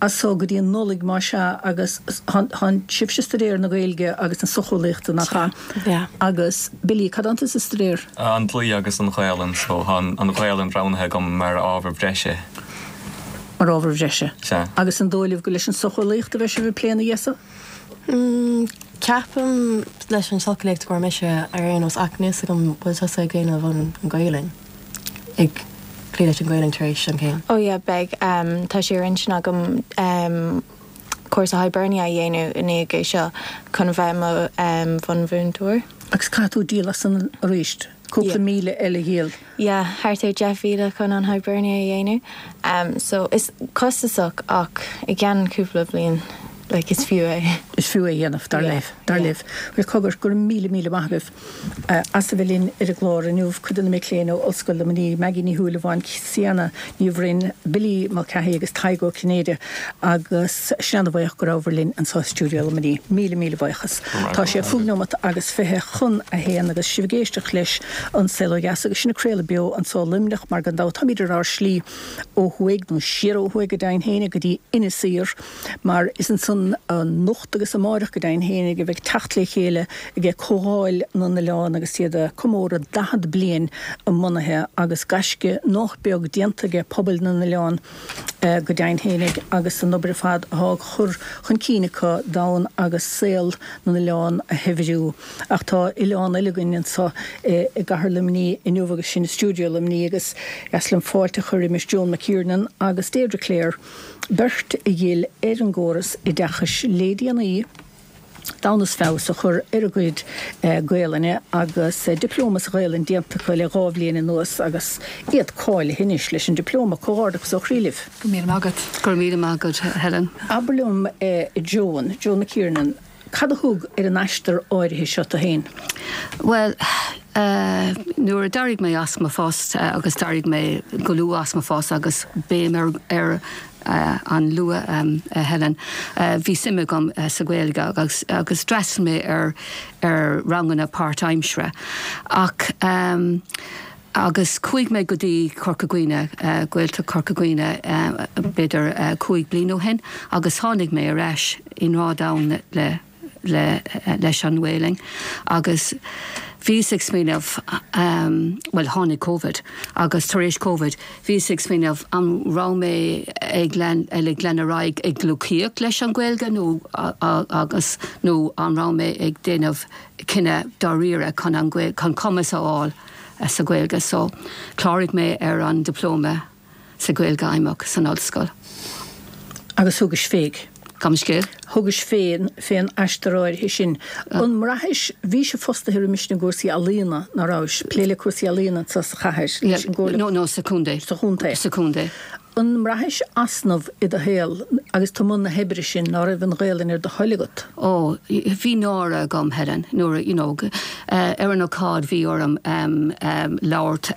as so go dtí an Nollaig más ea agus tánn sibhse ag staidéar na Gaeilge agus na socheolaíochta nach ea? Yeah. Agus Billy, cad atánn tusa ag staidéar? An dlí agus an Ghaelainn so tá an Ghaelainn roghnaithe agam mar ábhar breise. Mar ábhar bhreise. Sea. Agus an dóigh libh gur leis an socheolaíocht a bheidh sibh ag plé ina dhiaidh so? Ceapaim leis an socheolaíocht go raibh mise ar aon nós ach níl 's agam bhfuil tusa ag déanamh an Ghaelainn, ag plé leis an Ghaelainn tar éis an chéim? Oh yeah beidh, tá sé ar intinn agam cúrsa Hibernia a dhéanamh i ndiaidh é seo chun a bheith i mo bhunmhúinteoir. Agus caithfidh tú díol as san arís? Cúpla míle eile a dhíol. Yeah, thart ar 10,000 chun an Hibernia a dhéanamh. So is costasach ach i gceann cúpla bliain like is fiú é. Is fiú é a dhéanamh, dar libh, dar libh. Bhuel, cogar, go raibh míle míle maith agaibh as a bheith linn ar an gclár inniu, cuid de na mic léinn ó Ollscoil Luimnigh, Maggie Ní Shúilleabháin, Sienna Ní Bhroin, Billy Mulcahy agus Tadhg Ó Cinnéide agus sinn ana-bhuíoch go rabhabhair linn anseo i stiúideo Luimnigh. Míle míle buíochas. Tá sé chúig neomat agus 21 agus sibh ag éisteacht leis An Saol Ó Dheas agus sinn ag craoladh beo anseo i Luimneach mar gan dabht táimid ar ár slí ó thuaidh, nó siar ó thuaidh go deimhin fhéinig, go dtí Inis Oírr mar is ansan anocht agus amáireach go deimhin fhéinig a bheidh teacht le chéile ag Comhdháil na nOileán agus iad ag comóradh 40 bliain a mbunaithe agus gaisce nách beag déanta ag pobail na n-oileán go deimhin fhéinig agus an obair ar fad athá á chur chun cinn acu d'fhonn agus saol na n-oileán a shaibhriú. Ach tá oileán eile againn anso i gcathair Luimnigh inniu agus sin i stiúideo Luimnigh agus is deas liom fáilte a chur roimis Joan McKiernan agus Deirdre Clare, beirt a dhil ar an gcóras oideachais le déanaí d'fhonn is feabhas a chur ar a gcuid Gaelainne agus Dioplóma sa Ghaelainn déanta acu le 2 bhliain anuas agus iad cáilithe anois leis an Dioplóma. Comhghairdeachas ó chroí libh. Go raibh míle maith agat. Go raibh míle maith agat, Helen. Abair liom, Joan, Joan McKiernan, Cad a thug ar an aistear áirithe seo tú féin? Bhuel, nuair a d'éirigh mé as mo phost, agus d'éirigh mé go luath as mo phost agus béim ar an luath, a Helen, bhí suim agam sa Ghaeilge agus agus d'fhreastail mé ar ar ranganna páirtaimseartha. Ach Agus chuaigh mé go dtí Corca Dhuibhne, Gaeltacht Chorca Dhuibhne, b'fhéidir 5 bliain ó shin agus tháinig mé ar ais i ngrá domhain le, le, leis an nGaelainn agus bhíos ag smaoineamh, bhuel tháinig Covid agus tar éis Covid bhíos ag smaoineamh an raibh mé ag lean, ag lean ar aghaidh ag gleacaíocht leis an Ghaeilge nó agus, nó an raibh mé ag déanamh cinneadh dáiríre chun an, chun cumas a fháil sa Ghaeilge so chláraigh mé ar an Dioplóma sa Ghaeilge Fheidhmeach san ollscoil. Agus thugais fé. Gabh mo leithscéal. Thugais fén, fén aistear áirithe sin. An mbraithis, bhís fostaithe roimis sin i gcúrsaí ealaíona, ná rabhais? Plé le cúrsaí ealaíona anso sa chathair, leis an gComhairle. No, no, sa chontae. Sa chontae. Sa chontae. An mbraithis easnamh i do shaol agus tú i mbun na hoibre sin ná raibh an Ghaelainn ar do thoil agat? Ó, bhí náire agam, Helen, nuair a, you know, ar an ócáid bhí orm labhairt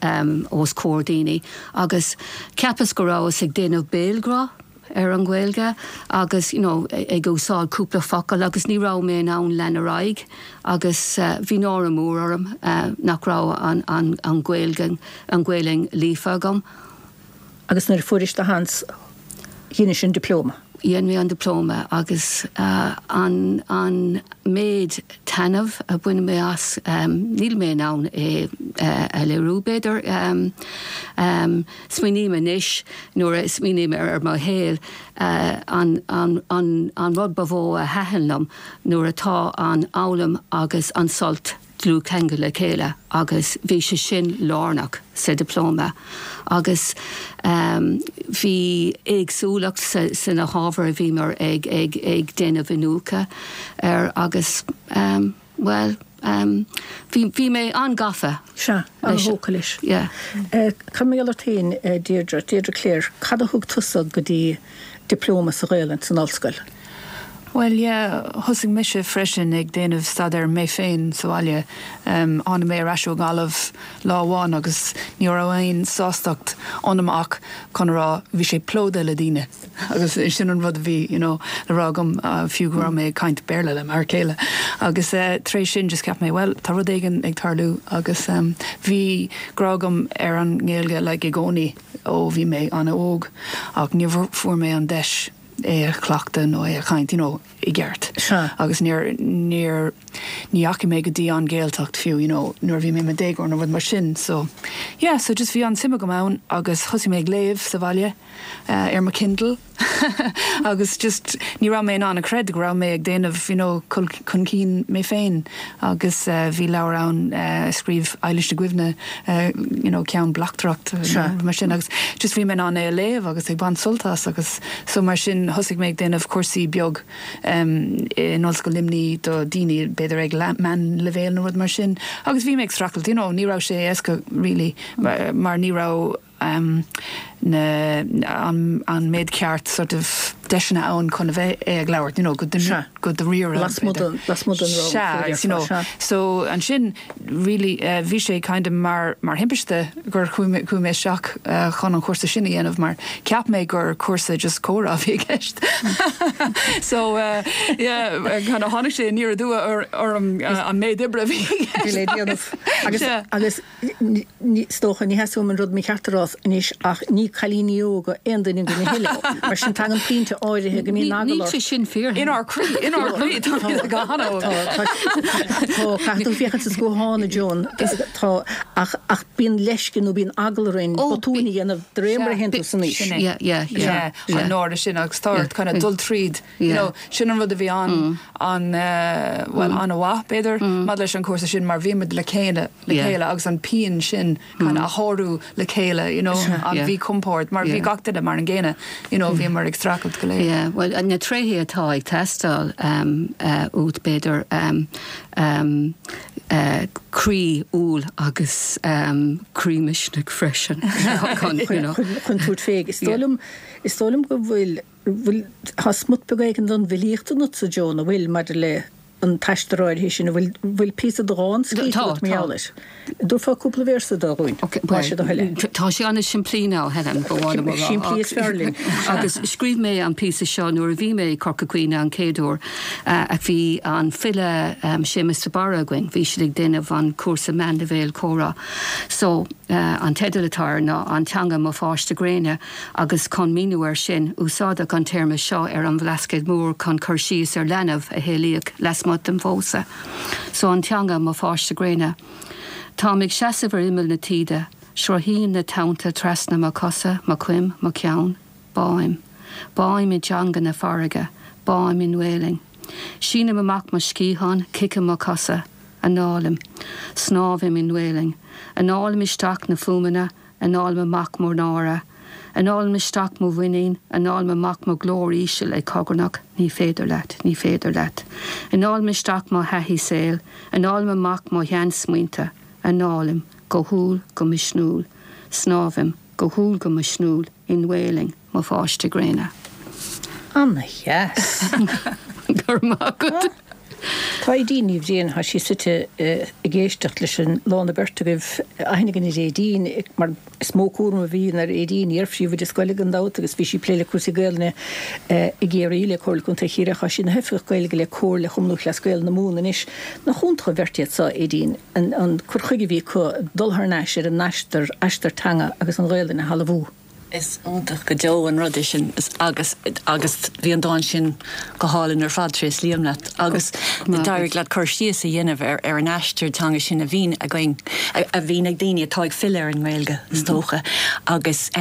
os comhair daoine agus cheapas go rabhas ag déanamh béalghrá ar an Ghaeilge agus, you know, ag úsáid cúpla focal agus ní raibh mé in ann lean ar aghaidh agus bhí náire mór orm nach raibh an, an, an Ghaeilge, an Ghaelainn líofa agam. Agus nuair a fuairis do sheans, dheinis an Dioplóma. Dhein mé an Dioplóma agus an an méid taitneamh a bhain mé as, níl mé in ann é a léiriú b'fhéidir. Smaoiním anois, nuair a smaoiním ar mo shaol, an an an an rud ba mhó a thaitin liom nuair atá an fhoghlaim agus an sult dlúthcheangal le chéile agus bhí sé sin lárnach sa Dioplóma agus bhí éagsúlacht sa na hábhair a bhíomar ag ag ag déanamh iniúchadh ar agus bhuel bhí bhí mé an-gafa Sea, an-thógtha leis. Yeah. Cad mar gheall ort féin, Deirdre, Deirdre Clare, cad a thug tusa go dtí Dioplóma sa Ghaelainn san ollscoil? Bhuel, yeah, thosaigh mise freisin ag déanamh staidéir mé féin sa bhaile. Tháinig mé ar ais ó Ghaillimh lá amháin agus ní raibh aon sástacht ionam ach chun a rá bhí sé plódaithe le daoine agus sin an rud a bhí, you know, le rá agam fiú go raibh mé ag caint Béarla le m'fhear céile. Agus tar éis sin just cheap mé, bhuel, tá rud éigin ag tarlú agus bhí grá agam ar an nGaeilge like i gcónaí ó bhí mé an-óg ach ní fuair mé an deis é a chleachtadh nó é a chaint, you know, i gceart. Sea. Agus níor, níor, ní dheachaigh mé go dtí an Ghaeltacht fiú, you know, nuair a bhí mé i mo dhéagóir nó rud mar sin. So, yeah, so just bhí an-suim agam ann agus thosaigh mé ag léamh sa bhaile ar mo Kindle agus just ní raibh mé in ann a chreid go raibh mé ag déanamh, you know, chun cinn mé féin agus bhí leabhar ann a scríobh Eilís Ní Dhuibhne, you know, ceann bleachtaireacht, mar sin agus just bhí mé in ann é a léamh agus ag baint sult as agus so mar sin. Ansin thosaigh mé ag déanamh cúrsaí beag in Ollscoil Luimnigh do daoine b'fhéidir ag meánleibhéal nó rud mar sin agus bhí mé ag streachailt, you know, ní raibh sé éasca really mar ní raibh na, an méid ceart sort of deiseanna ann chun a bheith é ag labhairt, you know, go go dáiríre. Lasmuigh den, lasmuigh den rang. Sea, you know, so ansin really bhí sé kind of mar mar thimpiste gur chuaigh mé chuaigh mé isteach chun an chúrsa sin a dhéanamh mar cheap mé gur cúrsa just comhrá a bhí i gceist. So yeah, kind of tháinig sé aniar aduaidh orm an méid oibre a bhí i gceist. Bhí le déanamh. Agus agus Is dócha, ní theastaíonn uaim an rud mícheart a rá anois ach ní cailíní óga aon duine againn a thuilleadh. Mar sin tagann pointe áirithe go mbíonn eagla Níl sé sin fíor. Inár gcroí, inár gcroí, tá siad go han-óg. Tá, tá, caithfidh tú féachaint sa scuathán, a Joan, tá, ach, ach bíonn leisce nó bíonn eagla orainn botúin a dhéanamh de réir mar a théann tú san aois. Sin é. Yeah, yeah, yeah. An náire sin agus tá ort kind of dul tríd You know, sin an rud a bhí an, an, bhuel, an-mhaith, b'fhéidir, maidir leis an chúrsa sin mar bhí muid le chéile, le chéile agus an pian sin kind of a shárú le chéile, you know, an mhíchompord mar bhí gach duine mar an gcéanna, you know, bhíomar ag streachailt go léir. Yeah, bhuel, na tréithe atá ag teastáil uait, b'fhéidir, croí umhal agus croí misnigh freisin chun, you know. Chun tabhairt fé. Is dóigh liom, is dóigh liom go bhfuil bhfuil, tá smut beag éigin den bhfilíocht ionatsa, Joan, an bhfuil, maidir le an t-aistear áirithe sin, an bhfuil, bhfuil píosa de dhán scríofa Tá, agat mar tá. gheall air? An dtabharfá cúpla véarsa dó dhúinn, Ok, má sé do thoil é? bhuel, tá sé an-simplí now, Helen, ba mhaith liom a rá. Simplí is fearr linn. Agus scríobh mé an píosa seo nuair a bhí mé i Corca Dhuibhne an chéad uair, ach bhí an file Séamus de Barra againn, bhí siad ag déanamh an cúrsa meánleibhéal comhrá. So, an teideal atá air ná An Teanga Mo Pháiste Gréine. Agus chun míniú air sin, úsáideadh an téarma seo ar an Bhlascaod Mór chun cur síos ar leanbh a saolaíodh lasmuigh den phósadh. So an teanga, mo pháiste gréine. Táim ag seasamh ar imeall na taoide. Sruthaíonn na tonnta trasna mo chosa, mo choim, mo cheann. Báim. Báim i dteanga na farraige. Báim i nGaelainn. Sínim amach mo sciatháin, ciceann mo chosa. Análaim. Snámhaim i nGaelainn. Análaim isteach na fuaimeanna, Análaim amach mo náire. Análaim isteach mo mhuinín, análaim amach mo ghlór íseal ag cogarnach, ní féidir leat, ní féidir leat. Análaim isteach mo thaithí saoil, análaim amach mo sheansmaointe, análaim, go humhal, go misniúil. Snámhaim, go humhal, go misniúil, i nGaelainn, mo pháiste gréine. Ana-dheas. Go raibh maith agat. Tá Aedín Ní Bhriain, tá sí suite ag éisteacht leis an lán na beirt agaibh. Aithne againn ar Aedín mar is mó cúram a bhíonn ar Aedín, iar-phríomhoide scoile gan dabht agus bhí sí ag plé le cúrsaí Gaelainne i gCiarraí le Comhairle Contae Chiarraí. Tá sí ina hOifigeach Gaeilge le Comhairle Chumann Lúthchleas Gael na Mumhan anois. Nach iontach an bheirt iad seo, Aedín, an cur chuige a bhí acu dul thar n-ais ar a n-aistear, aistear teanga agus an Ghaelainn a thalmhú. Is iontach go deo an rud é sin agus agus bhí an dán sin go hálainn ar fad, tréaslaím leat agus d'éirigh leat cur síos a dhéanamh ar ar an aistear teanga sin a bhíonn againn, a bhíonn ag daoine atá ag filleadh ar an nGaeilge is dócha agus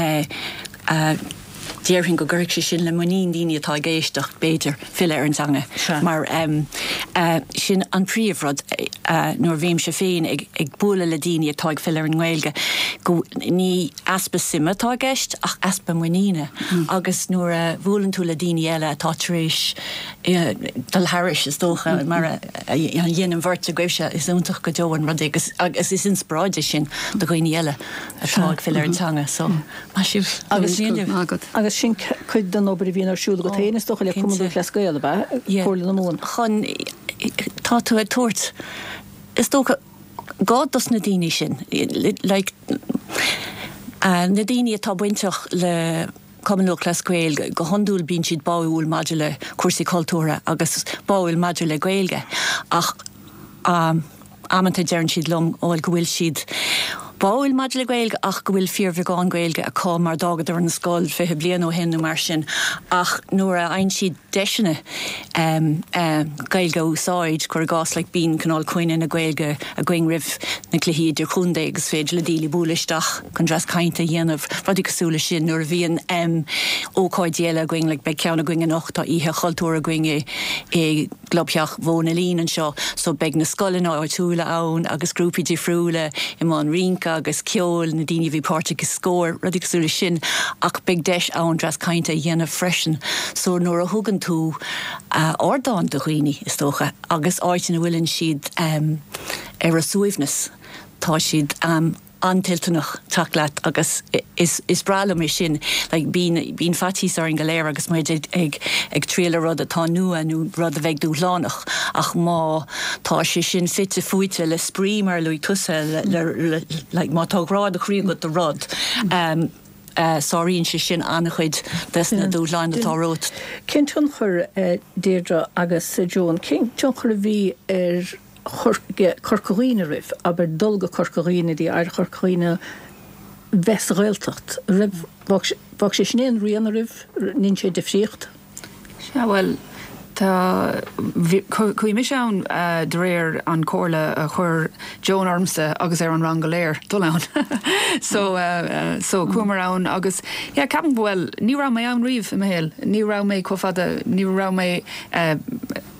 déarfainn go gcuirfidh sé sin le muinín daoine atá ag éisteacht b'fhéidir filleadh ar an teanga mar sin an príomhrud nuair a bhímse féin ag bualadh le daoine atá ag filleadh ar an nGaeilge go ní easpa suime atá i gceist ach easpa muiníne agus nuair a bhuaileann tú le daoine eile atá tar éis dul thairis, is dócha, mar a dhein an bheirt agaibhse, is iontach go deo an rud é agus agus is inspioráid é sin do dhaoine eile atá ag filleadh ar an teanga. So, maith sibh agus Agus sin cuid den obair a bhíonn ar siúl agat féin, is dócha, le Cumann Lúthchleas Gael, ab ea? Comhairle na Mumhan. Chun, tá tú ag tabhairt, is dócha, gá dos na daoine sin, like, na daoine atá bainteach le Cumann Lúthchleas Gael, go hiondúil bíonn siad báúil maidir le cúrsaí cultúrtha agus báúil maidir le Gaeilge ach amanta deireann siad liom, bhuel, go bhfuil siad báúil maidir le Gaeilge ach go bhfuil fíorbheagán Gaeilge acu mar d'fhágadar an scoil 20 bliain ó shin nó mar sin ach nuair a fhaigheann siad deiseanna Gaeilge a úsáid, cuir i gcás, like bíonn cineál coinne na Gaeilge againn roimh na cluichí idirchontae agus is féidir le daoine bualadh isteach chun dreas cainte a dhéanamh, rudaí cosúil leis sin. Nuair a bhíonn ócáidí eile againn, like beidh ceann againn anocht, tá oíche chultúir againn i i gclubtheach Mhóna Lín anseo so beidh na scoileanna áitiúla ann agus grúpaí difriúla i mbun rince. damhsa agus ceol, na daoine a bhí páirteach i Scór, rudaí cosúil leis sin, ach beidh deis ann dreas cainte a dhéanamh freisin. So nuair a thugann tú ardán do dhaoine, is dócha, agus áit ina bhfuileann siad ar a suaimhneas, tá siad an-toilteanach teacht leat agus is breá liom é sin. Like bíonn, bíonn faitíos orainn go léir agus muid ag, ag, ag triail ar rud atá nua nó rud a bheidh dúshlánach ach má tá sé sin fite fuaite le spraoi mar a luaigh tusa, le, le, le, like má tá grá do chroí agat do rud, um, sáraíonn sé sin an-chuid des na dúshláin atá romhat. Cén tionchar, Deirdre agus Joan, cén tionchar a bhí ar Chorca Dhuibhne oraibh, abair, dul go Corca Dhuibhne, dtí Oidhreacht Chorca Dhuibhne, bheith sa Ghaeltacht? Raibh, bhfág sé sin aon rian oraibh, ndein sé difríocht? Sea, bhuel, tá, bhí, chuaigh mise ann de réir an chomhairle a chuir Joan ormsa agus ar an rang go léir dul ann. So, so chuamar ann agus, yeah, ceapaim, bhuel, ní raibh mé ann riamh i mo shaol, ní raibh mé chomh fada, ní raibh mé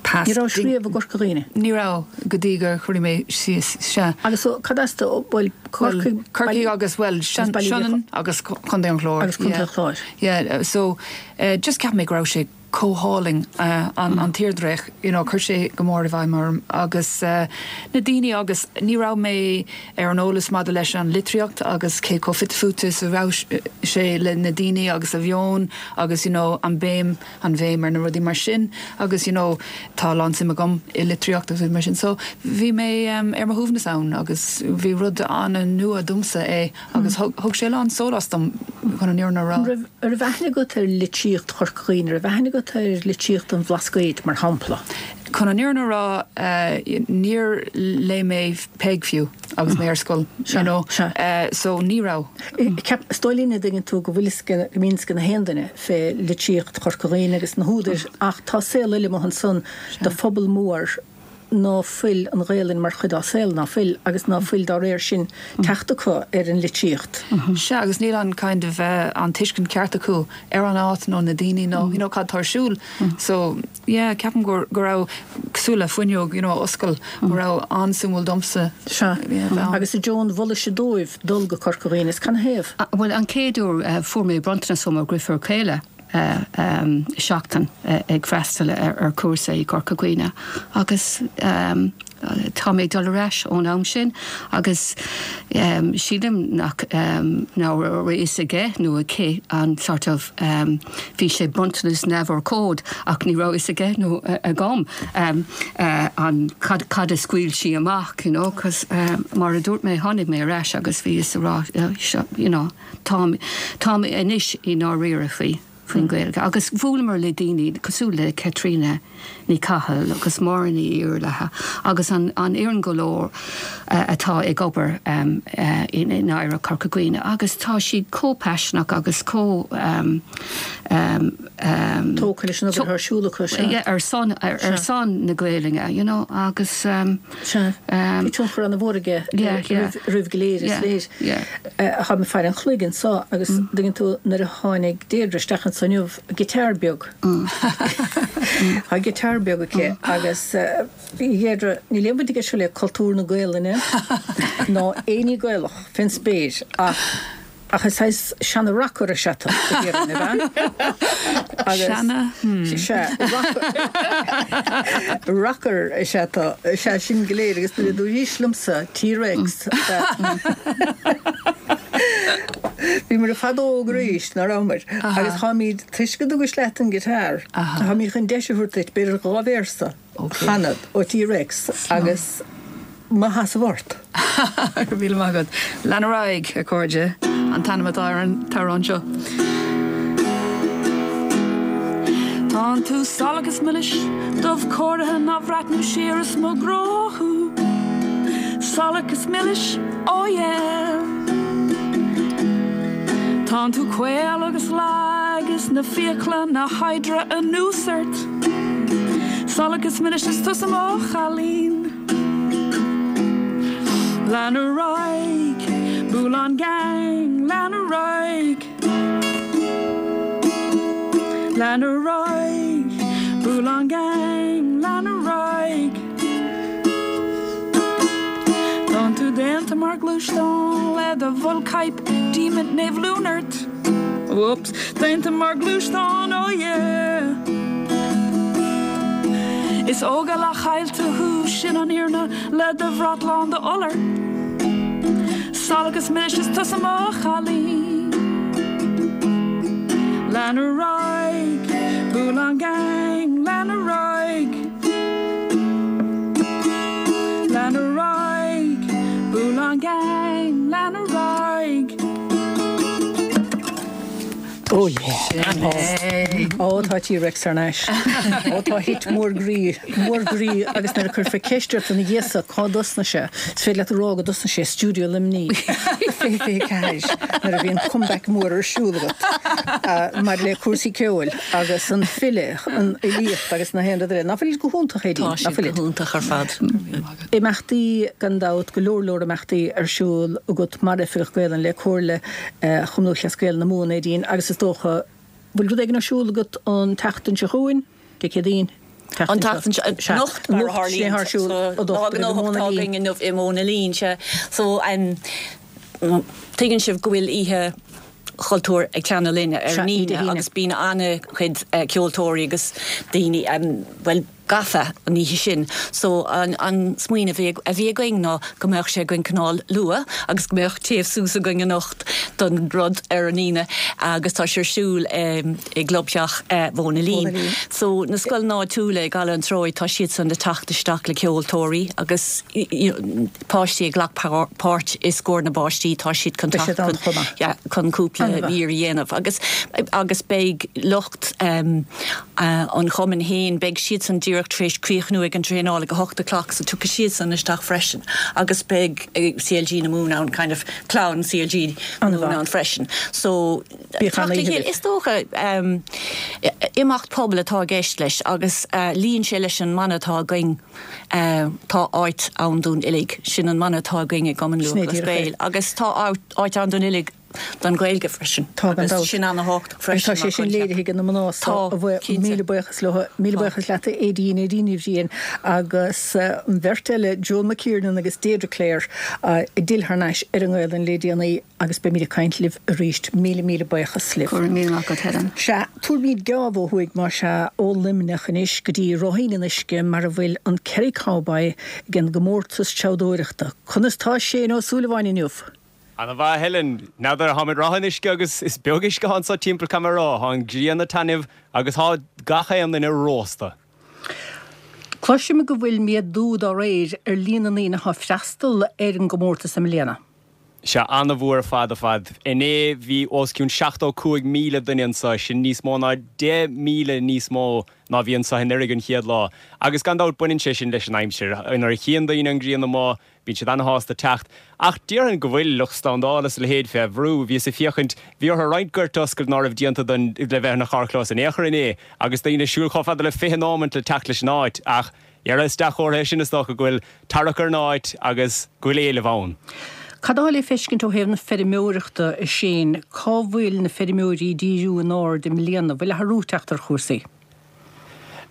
past. Ní rabhais riamh i gCorca Dhuibhne? Ní raibh, go dtí gur chuaigh mé síos, sea. Agus so, cad as do, bhuel, Corcaigh. Corcaigh agus, bhuel, Sionainn agus Contae an Chláir. Agus Contae an Chláir. Yeah, so, just cheap mé go raibh sé chomh hálainn, an tírdhreach, you know, chuir sé go mór i bhfeidhm orm agus na daoine agus ní raibh mé ar an eolas maidir leis an litríocht agus cé chomh fite fuaite is a raibh sé le na daoine agus a mheon agus, you know, an béim. an bhéim ar na rudaí mar sin agus you know tá a lán suim agam i litríocht agus rudaí mar sin so bhí mé ar mo shuaimhneas ann agus bhí rud an-nua domsa é agus thug sé a lán sólás dom chun an fhírinne a rá. An raibh, an raibh aithne agat ar litríocht Chorca Dhuibhne, an raibh aithne agat ar litríocht an Bhlascaoid mar shampla? Chun an fhírinne a rá níor léigh mé Peig fiú agus mé ar scoil you know so ní raibh. Ceap, is dóigh linn an dtuigeann tú go bhfuil fhios go mbíonn fhios ag na haon duine fé litríocht Chorca Dhuibhne agus na húdair ach tá saol eile amuigh ansan do phobal mór ná fuil an Ghaelainn mar chuid dá saol, ná fuil, agus ná fuil dá réir sin teacht acu ar an litríocht. Sea, agus níl an kind of an tuiscint ceart acu ar an áit nó na daoine nó you know cad tá ar siúl. So. Yeah, ceapaim go go raibh cosúil le fuinneog, you know, a oscail, go raibh an-suimiúil domsa. Sea. Yeah, bheith ann. Agus a Joan, mholaise dóibh dul go Corca Dhuibhne, is canathaobh? Bhuel, an chéad uair, fuair mé bronntanas ó mo dheirfiúr chéile, seachtain ag freastal ar chúrsa i gCorca Dhuibhne agus Tá mé ag dul ar ais ón am sin agus sílim nach nach raibh a fhios aige nó aici an sort of bhí sé bronntanas neamhurchóid ach ní raibh a fhios aige nó agam an cad cad a scaoil sí amach you know 'cause mar a dúirt mé tháinig mé ar ais agus bhíos ag rá seo you know táim táim anois i ndáiríre faoi. faoin Ghaeilge agus bhuaileamar le daoine cosúil le Caitríona Ní Chathail agus Máire Ní Iarlaithe agus an an fhoireann go léir atá ag obair in Oidhreacht Chorca Dhuibhne agus tá siad chomh paiseanach agus chomh tógtha leis an obair atá ar siúl acu, sea. ar son ar son na Gaelainne you know agus. Sea. Bhí tionchar an-mhór aige oraibh go léir, is léir. Táim ag faire an chloig anso agus dtuigeann tú nuair a tháinig Deirdre isteach anso inniu, giotár beag. Tá giotár beag aici agus a Dheirdre, níl aon bhaint aige seo le cultúr na Gaelainne ná aon ní Gaelach fén spéir ach ach is saghas seana rocker is ea tú, a déarfainn, ab ea? Agus Seana, hmm. Sea, rocker rocker is ea tú, sea, sin go léir agus nuair a dúraís liomsa T-Rex Bhíomar ar fad óg arís, ná rabhamar? Agus táimid, toisc go dtugais leat an guitar, táimid chun deis a thabhairt duit, b'fhéidir 2 véarsa a chanadh ó T-Rex agus mo sheasamh ort. Go raibh míle maith agat. Lean ar aghaidh, a chairde, an t-ainm atá ar an t-amhrán seo. Tánn tú salach is milis, dubh cóirithe ná bhreathnú siar is mo ghrá thú. Salach is milis, oh yeah. Tánn tú caol agus lag is na fiacla na hydra anuas ort. Salach is milis is tusa mo chailín. Lean ar aghaidh, Bualadh an Gang, lean ar aghaidh. Lean ar aghaidh, Bualadh an Gang, lean ar aghaidh. Tánn tú daonna. Déanta mar ghluaisteán le do bhulcchaidhp Díomant Naomh Luan ort Whoops Déanta mar ghluaisteán oh yeah Is ógánach caillte thú sin an fhírinne Le do bhrat lán d'iolar Salach is milis is tusa mo chailín Lean ar aghaidh, buail an gang, lean ar aghaidh. Lean ar aghaidh, buail an gang, lean ar aghaidh. Oh yeah. Ó tá T-Rex thar n-ais. Ó tá hit mór groí, mór groí agus nuair a cuirfear ceist ort ina dhiaidh so cá dtosnaigh sé, is féidir leat a rá go dtosnaigh sé i stiúideo Luimnigh 2024 nuair a bhí an comeback mór ar siúl agat maidir le cúrsaí ceoil agus an file, an fhilíocht agus na haon rud eile. Ná fuilid go hiontach, Aedín? Tá siad go hiontach ar fad. Imeachtaí gan dabht, go leor leor imeachtaí ar siúl agat mar Oifigeach Gaelainne le Comhairle Chumann Lúthchleas Gael na Mumhan, Aedín, agus is dócha, bhfuil rud éigin ar siúl agat an tseachtain seo chugainn, Dé Céadaoin? An tseachtain seo, anocht mar a tharlaíonn, so lá gnóthach atá againn inniu i Móna Lín, sea. So, tuigeann sibh go bhfuil oíche chultúir ag Clanna Linne ar an Aoine agus bíonn an-chuid ceoltóirí agus daoine, bhuel, gafa an oíche sin. So an smaoineamh a bhí againn ná go mbeadh sé againn cineál luath agus go mbeadh téamh suas againn anocht don rud ar an Aoine agus tá sé ar siúl i gclubtheach Mhóna Lín. So na scoileanna áitiúla i gCaladh an Treoigh tá siadsan ag teacht isteach le ceoltóirí agus páistí a ghlac páirt i Scór na bPáistí, tá siad chun teacht chun cúpla mír a dhéanamh agus agus beidh lucht an chumainn féin, beidh siadsan díreach tar éis críochnú ag an traenáil ag 8 a clock so tiocfaidh siadsan isteach freisin agus beidh CLG na Mumhan ann, kind of clann CLG na Mumhan ann freisin. So teacht le chéile, is dócha imeacht pobail atá i gceist leis agus luíonn sé leis an mana atá againn, Tá áit ann dúinn uilig. Sin an mana atá againn i gCumann Lúthchleas Gael agus tá áit ann dúinn uilig don Ghaeilge freisin agus sin ana-thábhachtach freisin. Tá sé sin léirithe ag na mná so a bhuí míle buíochas leo. Míle buíochas leat a Aedín, Aedín Ní Bhriain agus an bheirt eile Joan McKiernan agus Deirdre Clare a d'fhill thar n-ais ar an nGaelainn le déanaí. Agus beimid ag caint libh arís. Míle, míle buíochas libh. Go raibh míle maith agat, Helen. Sea, tabharfaimid geábh ó thuaidh, más ea, ó Luimneach anois go dtí Ráithín an Uisce mar a bhfuil an Kerry Cowboy ag an gcomórtas treabhdóireachta. Conas tá Shane Ó Súilleabháin inniu? Ana mhaith, Helen. N'fheadar, táim ag Ráth an Uisce agus is beag uisce atá anso timpeall caithfidh mé a rá. Tá an ghrian ag taitneamh agus tá gach aon duine rósta. Cloisim go bhfuil méadú dá réir ar líon na ndaoine atá ag freastal ar an gcomórtas i mbliana. Sea, ana-mhór ar fad ar fad. Inné bhí os cionn 75,000 duine anseo, sin níos mó ná 10,000 níos mó ná bhí anseo anuraidh an chéad lá. Agus gan dabht baineann sé sin leis an aimsir. Nuair a chíonn daoine an ghrian amuigh, bíonn siad ana-shásta teacht. Ach déarfainn go bhfuil lucht slándála is a leithéid fé bhrú. Bhíos ag féachaint, bhí orthu roinnt goirt a oscailt ná raibh déanta don le bheith ina charrchlós in aon chor inné, agus daoine ag siúl chomh fada le 20 nóimint le teacht leis an áit. Ach Dhera, is dea-chomhartha é sin is dócha go bhfuil tarrac ar an áit agus go bhfuil éileamh ann. Cad atá le feiscint ó thaobh na feirmeoireachta, a Shane? Cá bhfuil na feirmeoirí ag díriú a n-aird i mbliana? Bhfuil athrú ag teacht ar chúrsaí?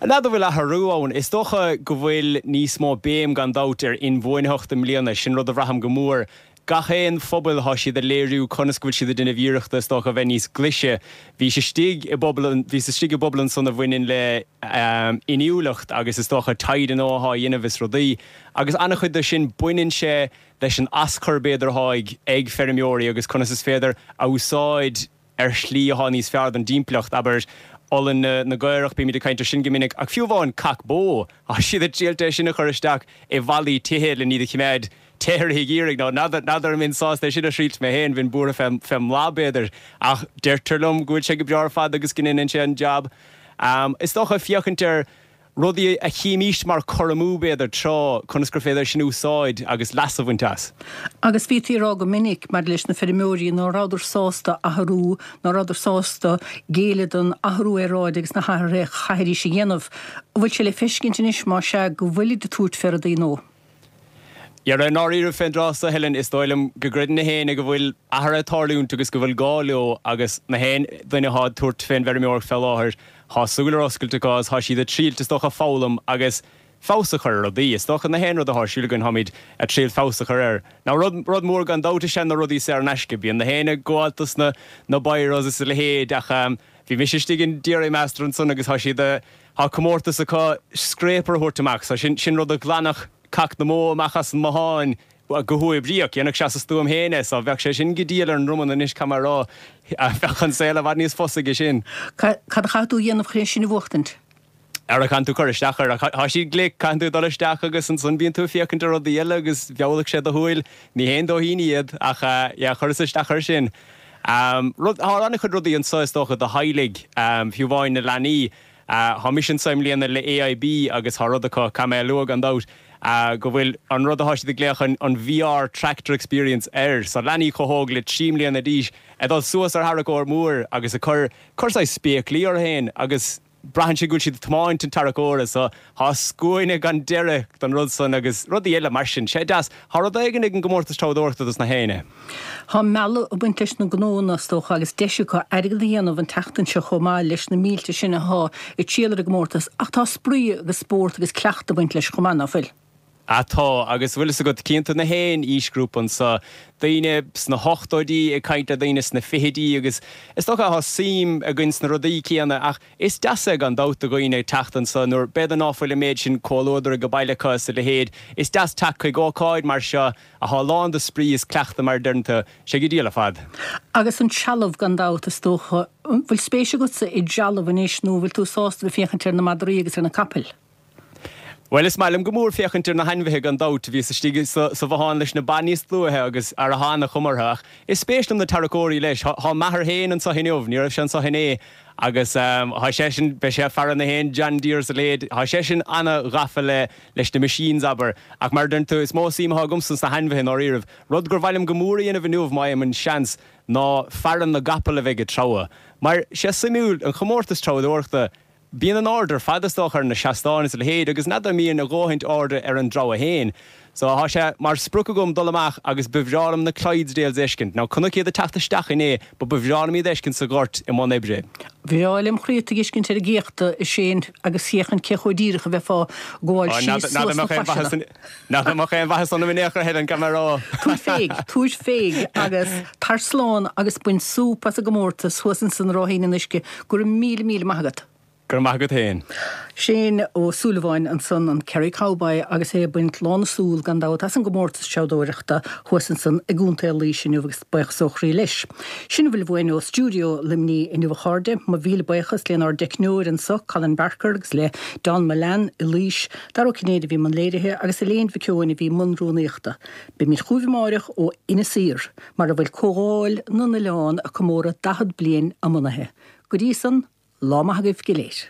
N'fheadar an bhfuil athrú ann. Is dócha go bhfuil níos mó béim gan dabht ar inbhuanaitheacht i mbliana. Sin rud a bhraithim go mór. Gach aon phobal thá siad ag léiriú conas go bhfuil siad ag déanamh iarrachta is dócha a bheith níos glaise. Bhís istigh i bpobal, bhíos istigh i bpobal ansan a bhaineann le inniúlacht agus is dócha taighde nua athá á dhéanamh is rudaí. Agus an-chuid de sin baineann sé leis an aschur b'fhéidir athá ag ag feirmeoirí agus conas is féidir a úsáid ar shlí athá níos fearr don dtimpeallacht, abair, olann na gcaorach, bímid ag caint ar sin go minic, ach fiú amháin cac bó, thá siad ag triailt é sin a chur isteach i bhfallaí tithe le iad a chimeád te i rith an gheimhridh. Now, n'fheadar an mbeinn sásta é sin a thriailt mé féin, bheinn buartha fé fén mblath, b'fhéidir, ach deirtear liom go bhfuil sé go breá ar fad agus go ndéanann sé an jab. Is dócha féachaint ar rudaí a chímíst mar cur amú, b'fhéidir, tráth, conas gur féidir sin a úsáid agus leas a bhaint as. Agus bhítí ag rá go minic maidir leis na feirmeoirí ná rabhadar sásta athrú, ná rabhadar sásta géilleadh don athrú aeráide agus na hathruithe a chaithfidís a dhéanamh. An bhfuil sé le feiscint anois, más ea, go bhfuilid ag tabhairt fé rudaí nó? Dhera, i ndáiríribh fén dtráth so, Helen, is dóigh liom go gcreideann na héinne go bhfuil athruithe ag tarlúint agus go bhfuil gá leo agus na haon duine athá ag tabhairt fén bhfeirmeoireacht fé láthair, thá súil ar oscailt acu agus thá siad ag triailt, is dócha, foghlaim agus. feabhas a chur ar rudaí. Is dócha na haon rud atá ar siúl againn táimid ag triail feabhas a chur air. Now rud, rud mór gan dabht is ea na rudaí saor in aisce. Bíonn na héinne ag gabháil dos na, na biros is a leithéid ach bhí mise istigh in Dairy Master ansan agus tá siad a, tá comórtas acu scraper a thabhairt amach so sin, sin rud a ghlanfadh cac na mbó amach as an mbothán go huathoibríoch. Dhéanfadh sé as a stuaim féin é so bheadh sé sin go diail ar an ndromann anois caithfidh mé a rá. Bheadh an saol i bhfad níos fusa aige sin. Cad a chaithfidh tú a dhéanamh chun é sin a bhuachtaint? Ara caitheann tú cur isteach air. Tá siad glic, caitheann tú dul isteach agus ansan bíonn tú ag féachaint ar rudaí eile agus mheallfadh sé do shúil. Ní haon dóithín iad ach yeah, chuireas isteach air sin. Rud, tá an-chuid rudaí anso is dócha do theaghlaigh, fiú amháin na leanaí. Tá mise anso i mbliana le AIB agus tá rud acu, caithfidh mé a lua gan dabht, go bhfuil an rud atá siad ag glaoch an VR Tractor Experience air. So leanaí chomh hóg le 3 mbliana d'aois ag dul suas ar tharracóir mór agus ag cur, cur saghas spéaclaí orthu féin agus, Braitheann sé go bhfuil siad ag tiomáint an tarracóra so tá scuaine gan deireadh don rud san agus rudaí eile mar sin. Sé deas. Tá rud éigin ag an gcomórtas treabhdóireachta dos na héinne. Tá mealladh ag baint leis na gnóanna, is dócha, agus deis acu airgead a dhéanamh an tseachtain seo chomh maith leis na mílte sin atá ag triall ar an gcomórtas ach tá spraoi agus spórt agus cleachtadh ag baint leis chomh maith, ná fuil? Ah tá, agus bhfuil fhios agat, cíonn tú na haon aoisghrúpa anso, daoine sna hochtóidí ag caint le daoine sna fichidí agus is dócha tá suim againn sna rudaí céanna ach is deas é gan dabht do dhaoine teacht anso nuair b'fhéidir ná fuil an méid sin comhluadar ag baile acu is a leithéid, is deas teacht chuig ócáid mar seo athá lán de spraoi is cleachtadh mar a deireann tú, sé go diail ar fad. Agus an trealamh gan dabht is dócha, an bhfuil spéis agatsa i dtrealamh anois nó an bhfuil tú sásta bheith féachaint ar na madraí agus ar na capaill? Bhuel, is maith liom go mór féachaint ar na hainmhithe gan dabht. Bhíos istigh sa bhothán leis na ba níos luaithe agus ara thá ana-chuma orthu. Ach is spéis liom na tarracóirí leis. Thá m'athair féin anso inniu, ní raibh sé anso inné, agus thá seisean, beidh sé ag faire na haon John Deere is a leithéid, thá seisean ana-ghafa le, leis na machines, abair. Ach mar a deireann tú, is mó suim athá agamsa sna hainmhithe i ndáiríribh. Rud gur mhaith liom go mór a dhéanamh inniu, má fhaighim an seans, ná faire na gcapall a bheidh ag treabhadh. Mar, sé suimiúil, an chomórtas treabhadóireachta, Bíonn an aird ar fad is dócha ar na seastáin is a leithéid agus n'fheadar an mbíonn a dhóthaint airde ar an dtreabhadh féin. So thá sé mar sprioc agam dul amach agus ba bhreá liom na Clydesdales a fheiscint. Now chonac iad ag teacht isteach inné but ba bhreá liom iad a fheiscint sa ghort i mbun oibre. Bhreá lem chroí tú a fheiscint ar an gcéachta a Shane agus féachaint cé chomh díreach a bheifeá ag gabháil síos suas na claiseanna. N'fheadar an mbeadh aon mhaitheas ionam in aon chor Helen, caithfidh mé a rá. Tabhair féig, tabhair féig agus tar slán agus bain súp as an gcomórtas thuas ansan i Ráithín an Uisce. Go raibh míle, míle maith agat. Go raibh maith agat féin. Shane Ó Súilleabháin ansan, an Kerry Cowboy agus é ag baint lán na súl gan dabht as an gcomórtas treabhdóireachta thuas ansan i gContae Laoise inniu agus buíochas ó chroí leis. Sin a bhfuil uainn ó stiúideo Luimnigh inniu a chairde. Mo mhíle buíochas lenár dteicneoir anso, Colin Barker agus le Don Mullane i Laois. Dara Ó Cinnéide a bhí i mbun léirithe agus Elaine Mhic Eoin a bhí i mbun rúnaíochta. Beimid chugaibh amáireach ó Inis Oírr, mar a bhfuil Comhdháil na nOileán ag comóradh 40 bliain a mbunaithe. Go dtí san, lá maith agaibh go léir.